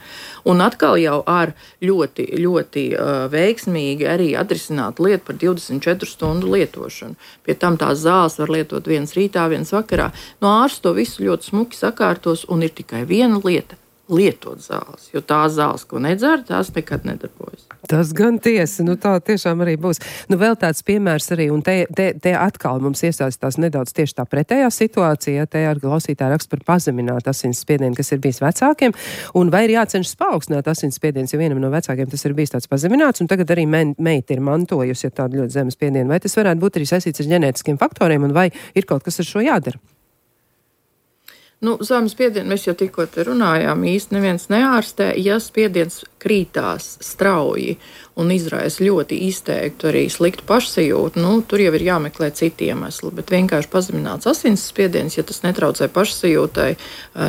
Un atkal jau ar ļoti, ļoti uh, veiksmīgi arī atrisināt lietu par divdesmit četru stundu lietošanu. Pie tam tās zāles var lietot viens rītā, viens vakarā. No ārsts to visu ļoti smuki sakārtos, un ir tikai viena lieta. Lietot zāles, jo tās zāles, ko nedzer, tās nekad nedarbojas. Tas gan tiesa, nu tā tiešām arī būs. Nu vēl tāds piemērs arī, un te, te, te atkal mums iesaistās nedaudz tieši tā pretējā situācija, te ar klausītāju raksta par pazeminātu asinsspiedienu, kas ir bijis vecākiem, un vai ir jācenšas paaugstināt asinsspiediens, jo vienam no vecākiem tas ir bijis tāds pazemināts, un tagad arī men, meita ir mantojusi ja tādu ļoti zemu spiedienu. Vai tas varētu būt arī saistīts ar ģenētiskiem faktoriem, un vai ir kaut kas ar šo jādara? Nu, zemes spiedienu mēs jau tikko te runājām, īsti neviens neārstē, ja spiediens krītās strauji un izraisa ļoti izteiktu arī sliktu pašsajūtu, nu, tur jau ir jāmeklē citi iemesli, bet vienkārši pazemināts asinsspiediens, ja tas netraucē pašsajūtai,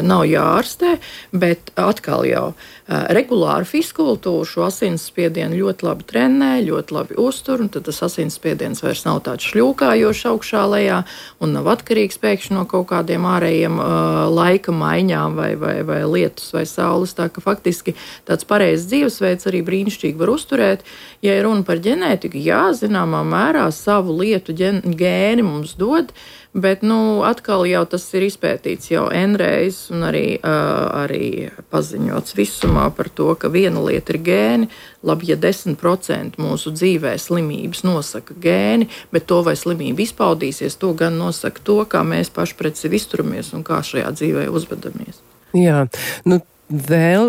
nav jāārstē, bet atkal jau regulāru fiskultūru šo asinsspiedienu ļoti labi trenē, ļoti labi uztur, un tad tas asinsspiediens vairs nav tāds šļūkājošs augšā lejā un nav atkarīgs pēkšņi no kaut kādiem ārējiem uh, laika maiņām vai, vai, vai lietus vai saules, tā ka faktiski tāds pareizs dzīvesveids arī brīnišķīgi var uzturēt. Ja ir runa par ģenētiku, jā, zināmā mērā savu lietu ģen, gēni mums dod, bet, nu, atkal jau tas ir izpētīts jau N-reiz un arī, uh, arī paziņots visumā par to, ka viena lieta ir gēni, labi, ja desmit procenti mūsu dzīvē slimības nosaka gēni, bet to, vai slimība izpaudīsies, to gan nosaka to, kā mēs paši pret sevi izturamies un kā šajā dzīvē uzvedamies. Jā, nu, vēl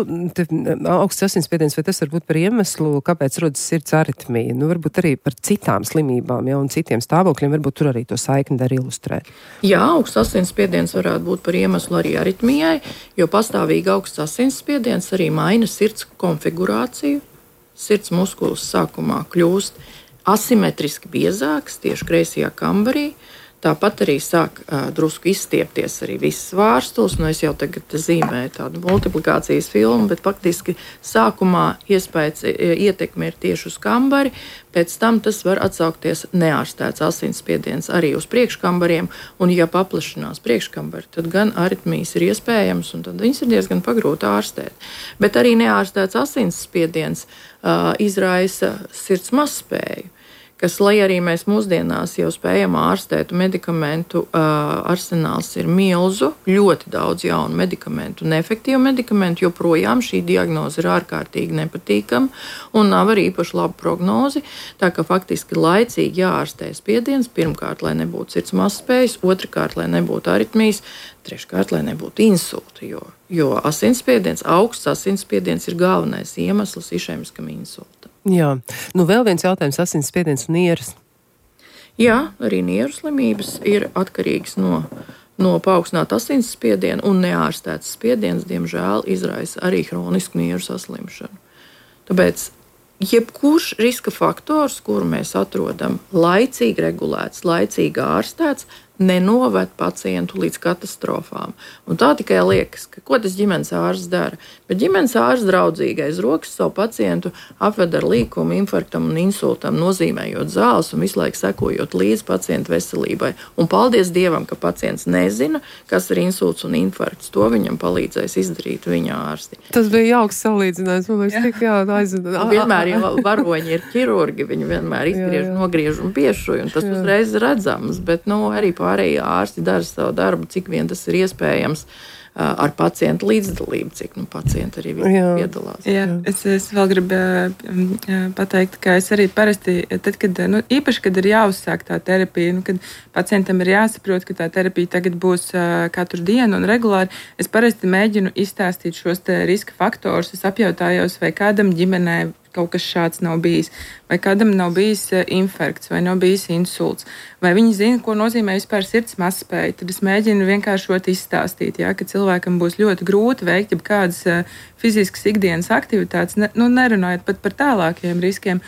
augsts asinsspiediens, vai tas var būt par iemeslu, kāpēc rodas sirds aritmija? Nu, varbūt arī par citām slimībām, ja, un citiem stāvokļiem, varbūt tur arī to saikni dar ilustrēt. Jā, augsts asinsspiediens varētu būt par iemeslu arī aritmijai, jo pastāvīgi augsts asinsspiediens arī maina sirds konfigurāciju. Sirds muskulis sākumā kļūst asimetriski biezāks tieši kreisajā kambarī. Tāpat arī sāk uh, drusku izstiepties arī visas vārstules. Nu, es jau tagad zīmēju tādu multiplikācijas filmu, bet faktiski sākumā iespējas ietekme ir tieši uz kambari. Pēc tam tas var atsaukties neārstēts asinsspiediens arī uz priekškambariem. Un, ja paplašinās priekškambari, tad gan aritmijas ir iespējams, un tad viņas ir diezgan pagrūti ārstēt. Bet arī neārstēts asinsspiediens uh, izraisa sirds mazspēju, kas, lai arī mēs mūsdienās jau spējam ārstēt, medikamentu uh, arsenāls ir milzu, ļoti daudz jaunu medikamentu, neefektīvu medikamentu, joprojām šī diagnoze ir ārkārtīgi nepatīkama un nav arī īpaši laba prognozi. Tā ka faktiski laicīgi jāārstē spiediens, pirmkārt, lai nebūtu sirds mazspējas, otrkārt, lai nebūtu aritmijas, treškārt, lai nebūtu insulti, jo, jo asinsspiediens, augsts asinsspiediens ir galvenais iemesls išēmiskam insultam. Jā, nu vēl viens jautājums - asinsspiediens un nieras. Jā, arī nieru slimības ir atkarīgas no, no paaugstināta asinsspiediena, un neārstēts spiediens, diemžēl, izraisa arī hronisku nieru saslimšanu. Tāpēc jebkurš riska faktors, kuru mēs atrodam laicīgi regulēts, laicīgi ārstēts, nenoved pacientu līdz katastrofām. Un tā tikai liekas, ka ko tas ģimenes ārsts dara. Bet ģimenes ārsts draudzīgais rokas savu pacientu apved ar līkumu, infarktam un insultam, nozīmējot zāles un visu laiku sekojot līdz pacientu veselībai. Un paldies Dievam, ka pacients nezina, kas ir insults un infarkts. To viņam palīdzēs izdarīt viņa ārsti. Tas bija jauks salīdzinājums. Man liekas, tik jā, aizvada. Vienmēr jau varoņi ir ķirurgi, viņi vienmēr izgriež, nogriež un piešuj, un tas jā. Uzreiz redzams, bet nu, arī pārējie ārsti dara savu darbu, cik vien tas ir iespējams ar pacientu līdzdalību, cik nu, pacienti arī piedalās. Jā, es, es vēl gribu pateikt, ka es arī parasti, tad, kad, nu, īpaši, kad ir jāuzsāk tā terapija, nu, kad pacientam ir jāsaprot, ka tā terapija tagad būs uh, katru dienu un regulāri, es parasti mēģinu izstāstīt šos te riska faktorus. Es apjautājos, vai kādam ģimenē kaut kas šāds nav bijis, vai kādam nav bijis infarkts, vai nav bijis insults, vai viņi zina, ko nozīmē vispār sirds mazspēja. Tad es mēģinu vienkāršot izstāstīt, ja, ka cilvēkam būs ļoti grūti veikt jau kādas fiziskas ikdienas aktivitātes, ne, nu, nerunājot pat par tālākiem riskiem.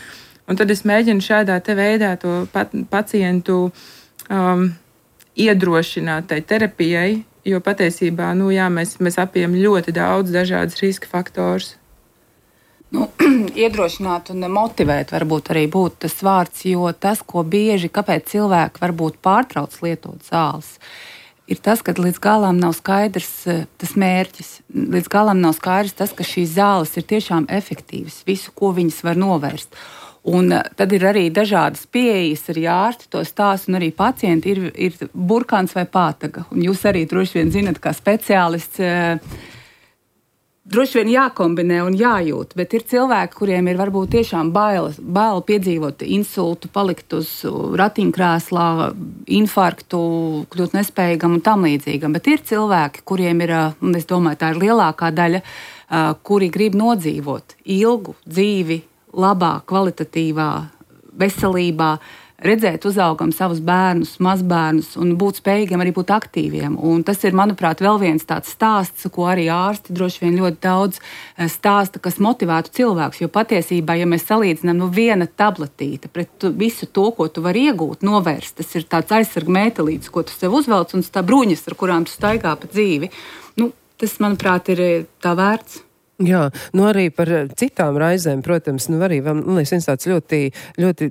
Un tad es mēģinu šādā te veidā to pat, pacientu um, iedrošināt tai terapijai, jo patiesībā nu, jā, mēs, mēs apjām ļoti daudz dažādas riska faktors. Nu, iedrošināt un motivēt varbūt arī būtu tas vārds, jo tas, ko bieži, kāpēc cilvēki varbūt pārtrauc lietot zāles, ir tas, ka līdz galam nav skaidrs tas mērķis. Līdz galam nav skaidrs tas, ka šīs zāles ir tiešām efektīvas, visu, ko viņas var novērst. Un tad ir arī dažādas pieejas, arī ārsti to stāsta, un arī pacienti ir, ir burkāns vai pātaga. Un jūs arī droši vien zinat, kā speciālists, droši vien jākombinē un jājūt, bet ir cilvēki, kuriem ir varbūt tiešām bail, bail piedzīvot insultu, palikt uz ratiņkrēslā, infarktu, kļūt nespējīgam un tam līdzīgam. Bet ir cilvēki, kuriem ir, un es domāju, tā ir lielākā daļa, kuri grib nodzīvot ilgu dzīvi, labā, kvalitatīvā veselībā, redzēt uzaugam savus bērnus, mazbērnus un būt spējīgiem arī būt aktīviem. Un tas ir, manuprāt, vēl viens tāds stāsts, ko arī ārsti droši vien ļoti daudz stāsta, kas motivētu cilvēkus. Jo patiesībā, ja mēs salīdzinām nu, viena tabletīte pret tu, visu to, ko tu vari iegūt, novērst, tas ir tāds aizsarga mētelītis, ko tu sev uzvelc, un tā bruņas, ar kurām tu staigā pa dzīvi. Nu, tas, manuprāt, ir tā vērts. Jā, nu arī par citām raizēm, protams, nu arī, man liekas, viens tāds ļoti, ļoti,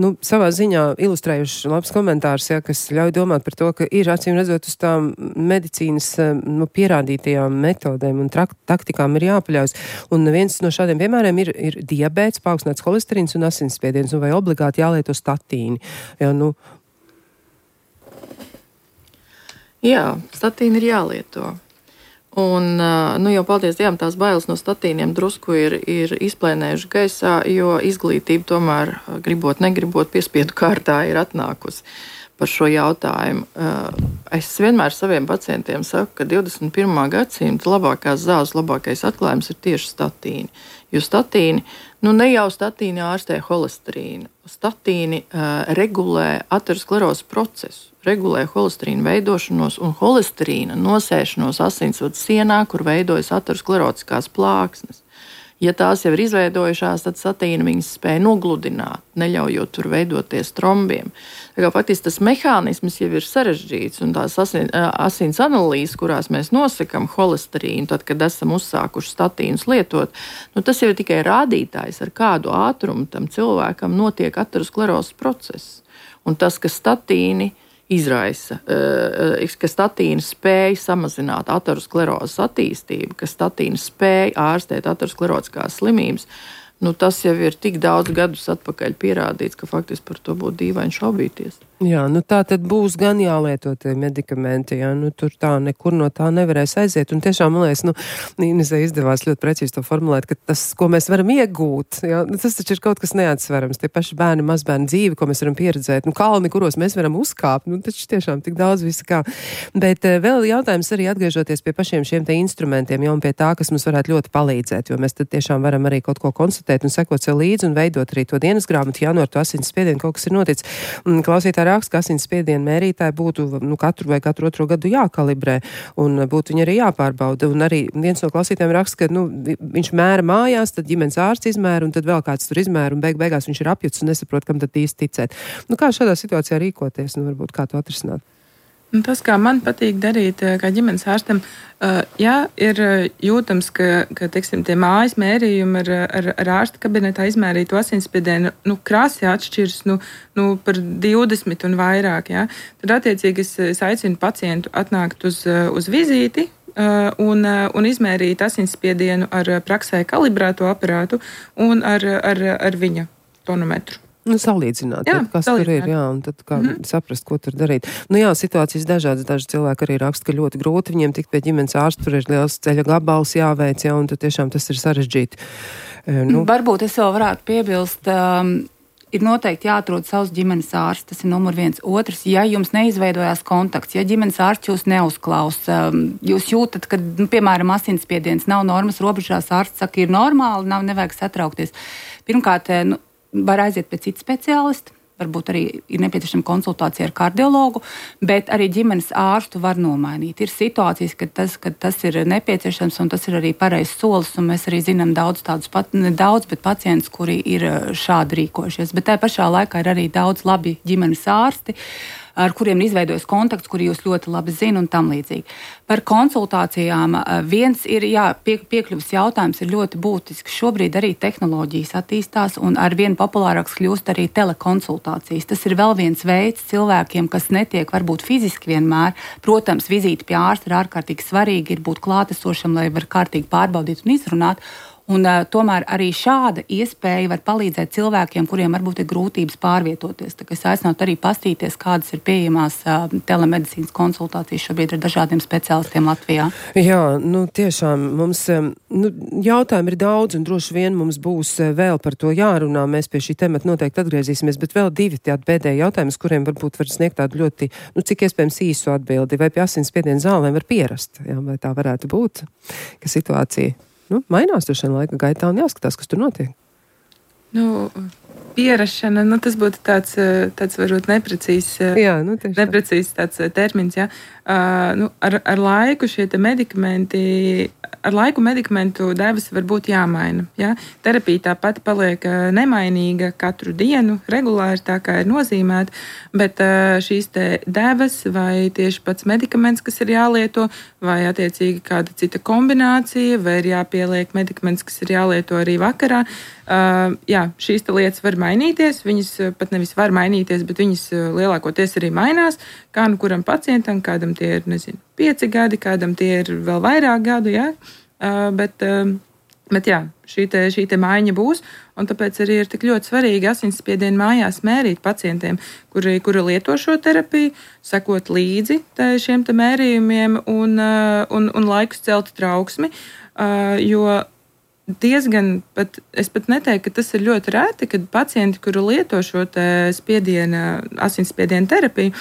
nu, savā ziņā ilustrējuši labs komentārs, jā, kas ļauj domāt par to, ka ir acīm redzot uz tām medicīnas, nu, pierādītajām metodēm un trak, taktikām ir jāpaļaujas. Un viens no šādiem piemēriem ir, ir diabēts, paaugstināts holesterīns un asinsspiediens, un vai obligāti jālieto statīni. Jā, nu. Jā, statīni ir jālieto. Un, nu, jau paldies Dievam, tās bailes no statīniem drusku ir, ir izplēnējuši gaisā, jo izglītība tomēr, gribot, negribot, piespiedu kārtā ir atnākusi par šo jautājumu. Es vienmēr saviem pacientiem saku, ka divdesmit pirmā gadsimta labākās zāles, labākais atklājums ir tieši statīni. Jo statīni, nu ne jau statīni ārstē holesterīnu, statīni uh, regulē aterosklerozes procesu, regulē holesterīnu veidošanos un holesterīna nosēšanos asinsvadu sienā, kur veidojas aterosklerotiskās plāksnes. Ja tās jau ir izveidojušās, tad satīna viņas spēja nogludināt, neļaujot tur veidoties trombiem. Tā kā faktiski tas mehānisms jau ir sarežģīts, un tās asins, asins analīzes, kurās mēs nosakam holesterīnu, tad, kad esam uzsākuši statīnus lietot, nu, tas jau ir tikai rādītājs, ar kādu ātrumu tam cilvēkam notiek aterosklerozes process. Un tas, ka statīni izraisa, ka statīna spēja samazināt aterosklerozes attīstību, ka statīna spēja ārstēt aterosklerotiskās slimības, nu, tas jau ir tik daudz gadus atpakaļ pierādīts, ka faktiski par to būtu dīvaini šaubīties. Jā, nu tā tad būs gan jālieto tie medikamenti, jā, nu tur tā nekur no tā nevarēs aiziet, un tiešām, man liekas, nu, Inesē izdevās ļoti precīzi to formulēt, ka tas, ko mēs varam iegūt, jā, nu, tas taču ir kaut kas neatsverams, tie paši bērni, mazbērni dzīvi, ko mēs varam pieredzēt, nu, kalni, kuros mēs varam uzkāpt, nu, taču tiešām tik daudz visa kā. Bet uh, vēl jautājums arī atgriežoties pie pašiem šiem te instrumentiem, jau un pie tā, kas mums varētu ļoti palīdzēt, jo mēs tad tiešām varam arī kaut ko konstatēt un sekot sev līdzi un veidot arī to dienas grāmatu, ja no ar to asins spiedienu kaut kas ir noticis. Klausītāji raksta, ka asins spiedienu mērītāji būtu nu, katru vai katru otro gadu jākalibrē un būtu viņi arī jāpārbauda. Un arī viens no klausītājiem raksta, ka nu, viņš mēra mājās, tad ģimenes ārsts izmēra un tad vēl kāds tur izmēra un beig beigās viņš ir apjuts un nesaprot, kam tad īsti ticēt. Nu, kā šādā situācijā rīkoties? Nu, varbūt kā to atrisināt? Un tas, kā man patīk darīt, kā ģimenes ārstam, ja ir jūtams, ka, ka teiksim, tie mājas mērījumi ar, ar, ar ārsta kabinetā izmērītu asinsspiedienu nu, krāsī atšķiras nu, nu, par divdesmit un vairāk, ja, tad attiecīgi es, es aicinu pacientu atnākt uz, uz vizīti un, un izmērīt asinsspiedienu ar praksē kalibrēto aparātu un ar, ar, ar viņa tonometru. Nu, salīdzināt, jā, tad, kas salīdzināt. tur ir, jā, un tad kā mm-hmm. saprast, ko tur darīt. Nu jā, situācijas dažādas, daži cilvēki arī raksta, ka ļoti grūti viņiem tikt pie ģimenes ārsta, tur ir liels ceļa gabals jāveic, jā, un tad tiešām tas ir sarežģīti. Nu. Varbūt es vēl varētu piebilst, um, ir noteikti jāatrod savs ģimenes ārsts, tas ir numur viens. Otrs, ja jums neizveidojās kontakts, ja ģimenes ārsts jūs neuzklausa, jūs jūtat, ka, nu, piemēram, asinsspiediens nav normas robežās, ārsts saka, ir normāli, nav nevajag satraukties. Pirmkārt, nu, var aiziet pie cita speciālista, varbūt arī ir nepieciešama konsultācija ar kardiologu, bet arī ģimenes ārstu var nomainīt. Ir situācijas, kad tas, kad tas ir nepieciešams un tas ir arī pareizs solis, un mēs arī zinām daudz tādus, pat, ne daudz, bet pacientus, kuri ir šādi rīkojušies. Bet tajā pašā laikā ir arī daudz labi ģimenes ārsti, ar kuriem ir izveidojis kontakts, kuri jūs ļoti labi zina un tam līdzīgi. Par konsultācijām viens ir, jā, pie, piekļuvas jautājums ir ļoti būtisks. Šobrīd arī tehnoloģijas attīstās un arvien populārāks kļūst arī telekonsultācijas. Tas ir vēl viens veids cilvēkiem, kas netiek varbūt fiziski vienmēr. Protams, vizīte pie ārsta ir ārkārtīgi svarīgi, ir būt klātesošam, lai var kārtīgi pārbaudīt un izrunāt. Un, uh, tomēr arī šāda iespēja var palīdzēt cilvēkiem, kuriem varbūt ir grūtības pārvietoties. Tā kā es aicinātu arī pastīties, kādas ir pieejamās uh, telemedicīnas konsultācijas šobrīd ar dažādiem speciālistiem Latvijā. Jā, nu tiešām mums um, nu, jautājumi ir daudz un droši vien mums būs uh, vēl par to jārunā. Mēs pie šī temata noteikti atgriezīsimies, bet vēl divi tādi pēdējie jautājumi, uz kuriem varbūt var sniegt tādu ļoti, nu cik iespējams īsu atbildi. Vai pie asinsspiediena zālēm var pierast? Jā, vai tā varētu būt? Ka situācija Nu, mainās tur šajā laika gaitā un jāskatās, kas tur notiek. Nu, pierašana, nu, tas būtu tāds, tāds varbūt neprecīzs, jā, nu, neprecīzs tāds termins. Jā. Uh, nu, ar, ar laiku šie te medikamenti, ar laiku medikamentu devas var būt jāmaina. Jā. Terapija tāpat paliek nemainīga katru dienu, regulāri tā kā ir nozīmēta, bet uh, šīs te devas vai tieši pats medikaments, kas ir jālieto, vai attiecīgi kāda cita kombinācija, vai ir jāpieliek medikaments, kas ir jālieto arī vakarā. Uh, jā, šīs lietas var mainīties, viņas pat nevis var mainīties, bet viņas lielākoties arī mainās, kā nu kuram pacientam, kādam tie ir, nezinu, pieci gadi, kādam tie ir vēl vairāk gadu, jā, uh, bet, uh, bet jā, šī te, šī te maiņa būs, un tāpēc arī ir tik ļoti svarīgi asinsspiedienu mājās mērīt pacientiem, kuri, kuri lieto šo terapiju, sekot līdzi te, šiem te mērījumiem un, uh, un, un laikus celt trauksmi, uh, jo diezgan, pat, es pat neteiktu, ka tas ir ļoti rēti, kad pacienti, kuri lieto šo spiediena, asinsspiediena terapiju,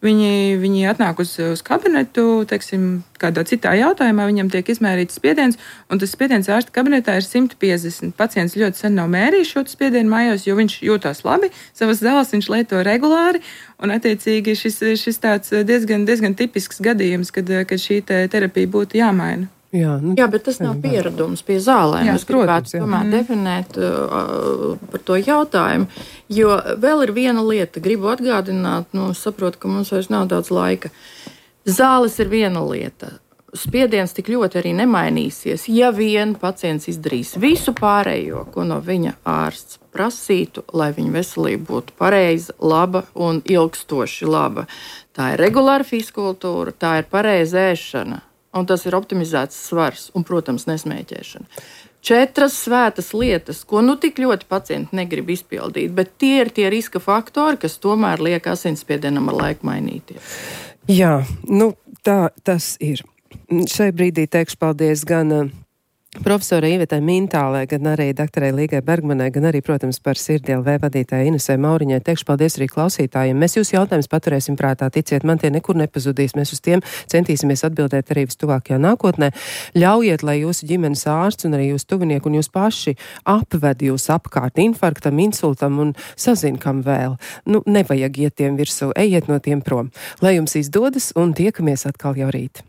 viņi, viņi atnāk uz, uz kabinetu, teiksim, kādā citā jautājumā, viņam tiek izmērīts spiediens, un tas spiediens ārsta kabinetā ir simt piecdesmit. Pacients ļoti sen nav mērījis šo spiedienu mājās, jo viņš jūtās labi, savas zāles viņš lieto regulāri, un attiecīgi šis, šis tāds diezgan, diezgan tipisks gadījums, kad, kad šī te terapija būtu jāmaina. Jā, nu, jā, bet tas nav pieredums pie zālēm. Jā, es gribētu protams, jā. tomēr Mm. definēt uh, par to jautājumu, jo vēl ir viena lieta. Gribu atgādināt, nu, saprotu, ka mums vairs nav daudz laika. Zāles ir viena lieta. Spiediens tik ļoti arī nemainīsies, ja vien pacients izdarīs visu pārējo, ko no viņa ārsts prasītu, lai viņa veselība būtu pareiza, laba un ilgstoši laba. Tā ir regulāra fizkultūra, tā ir pareiza ēšana, un tas ir optimizēts svars un, protams, nesmēķēšana. Četras svētas lietas, ko nu tik ļoti pacienti negrib izpildīt, bet tie ir tie riska faktori, kas tomēr liek asinsspiedienam ar laiku mainīties. Jā, nu tā tas ir. Šai brīdī teikšu paldies gan uh, profesorai Ivetai Mintālē, gan arī doktorai Līgai Bergmanai, gan arī, protams, par Sirdi L V vadītāju Inesai Mauriņai. Teikšu paldies arī klausītājiem. Mēs jūsu jautājumus paturēsim prātā, ticiet, man tie nekur nepazudīs. Mēs uz tiem centīsimies atbildēt arī vistuvākajā nākotnē. Ļaujiet, lai jūsu ģimenes ārsts un arī jūsu tuvinieki un jūs paši apved jūs apkārt infarktam, insultam un sazin, kam vēl. Nu, nevajag iet tiem virsū, ejiet no tiem prom. Lai jums izdodas un tiekamies atkal jau rīt.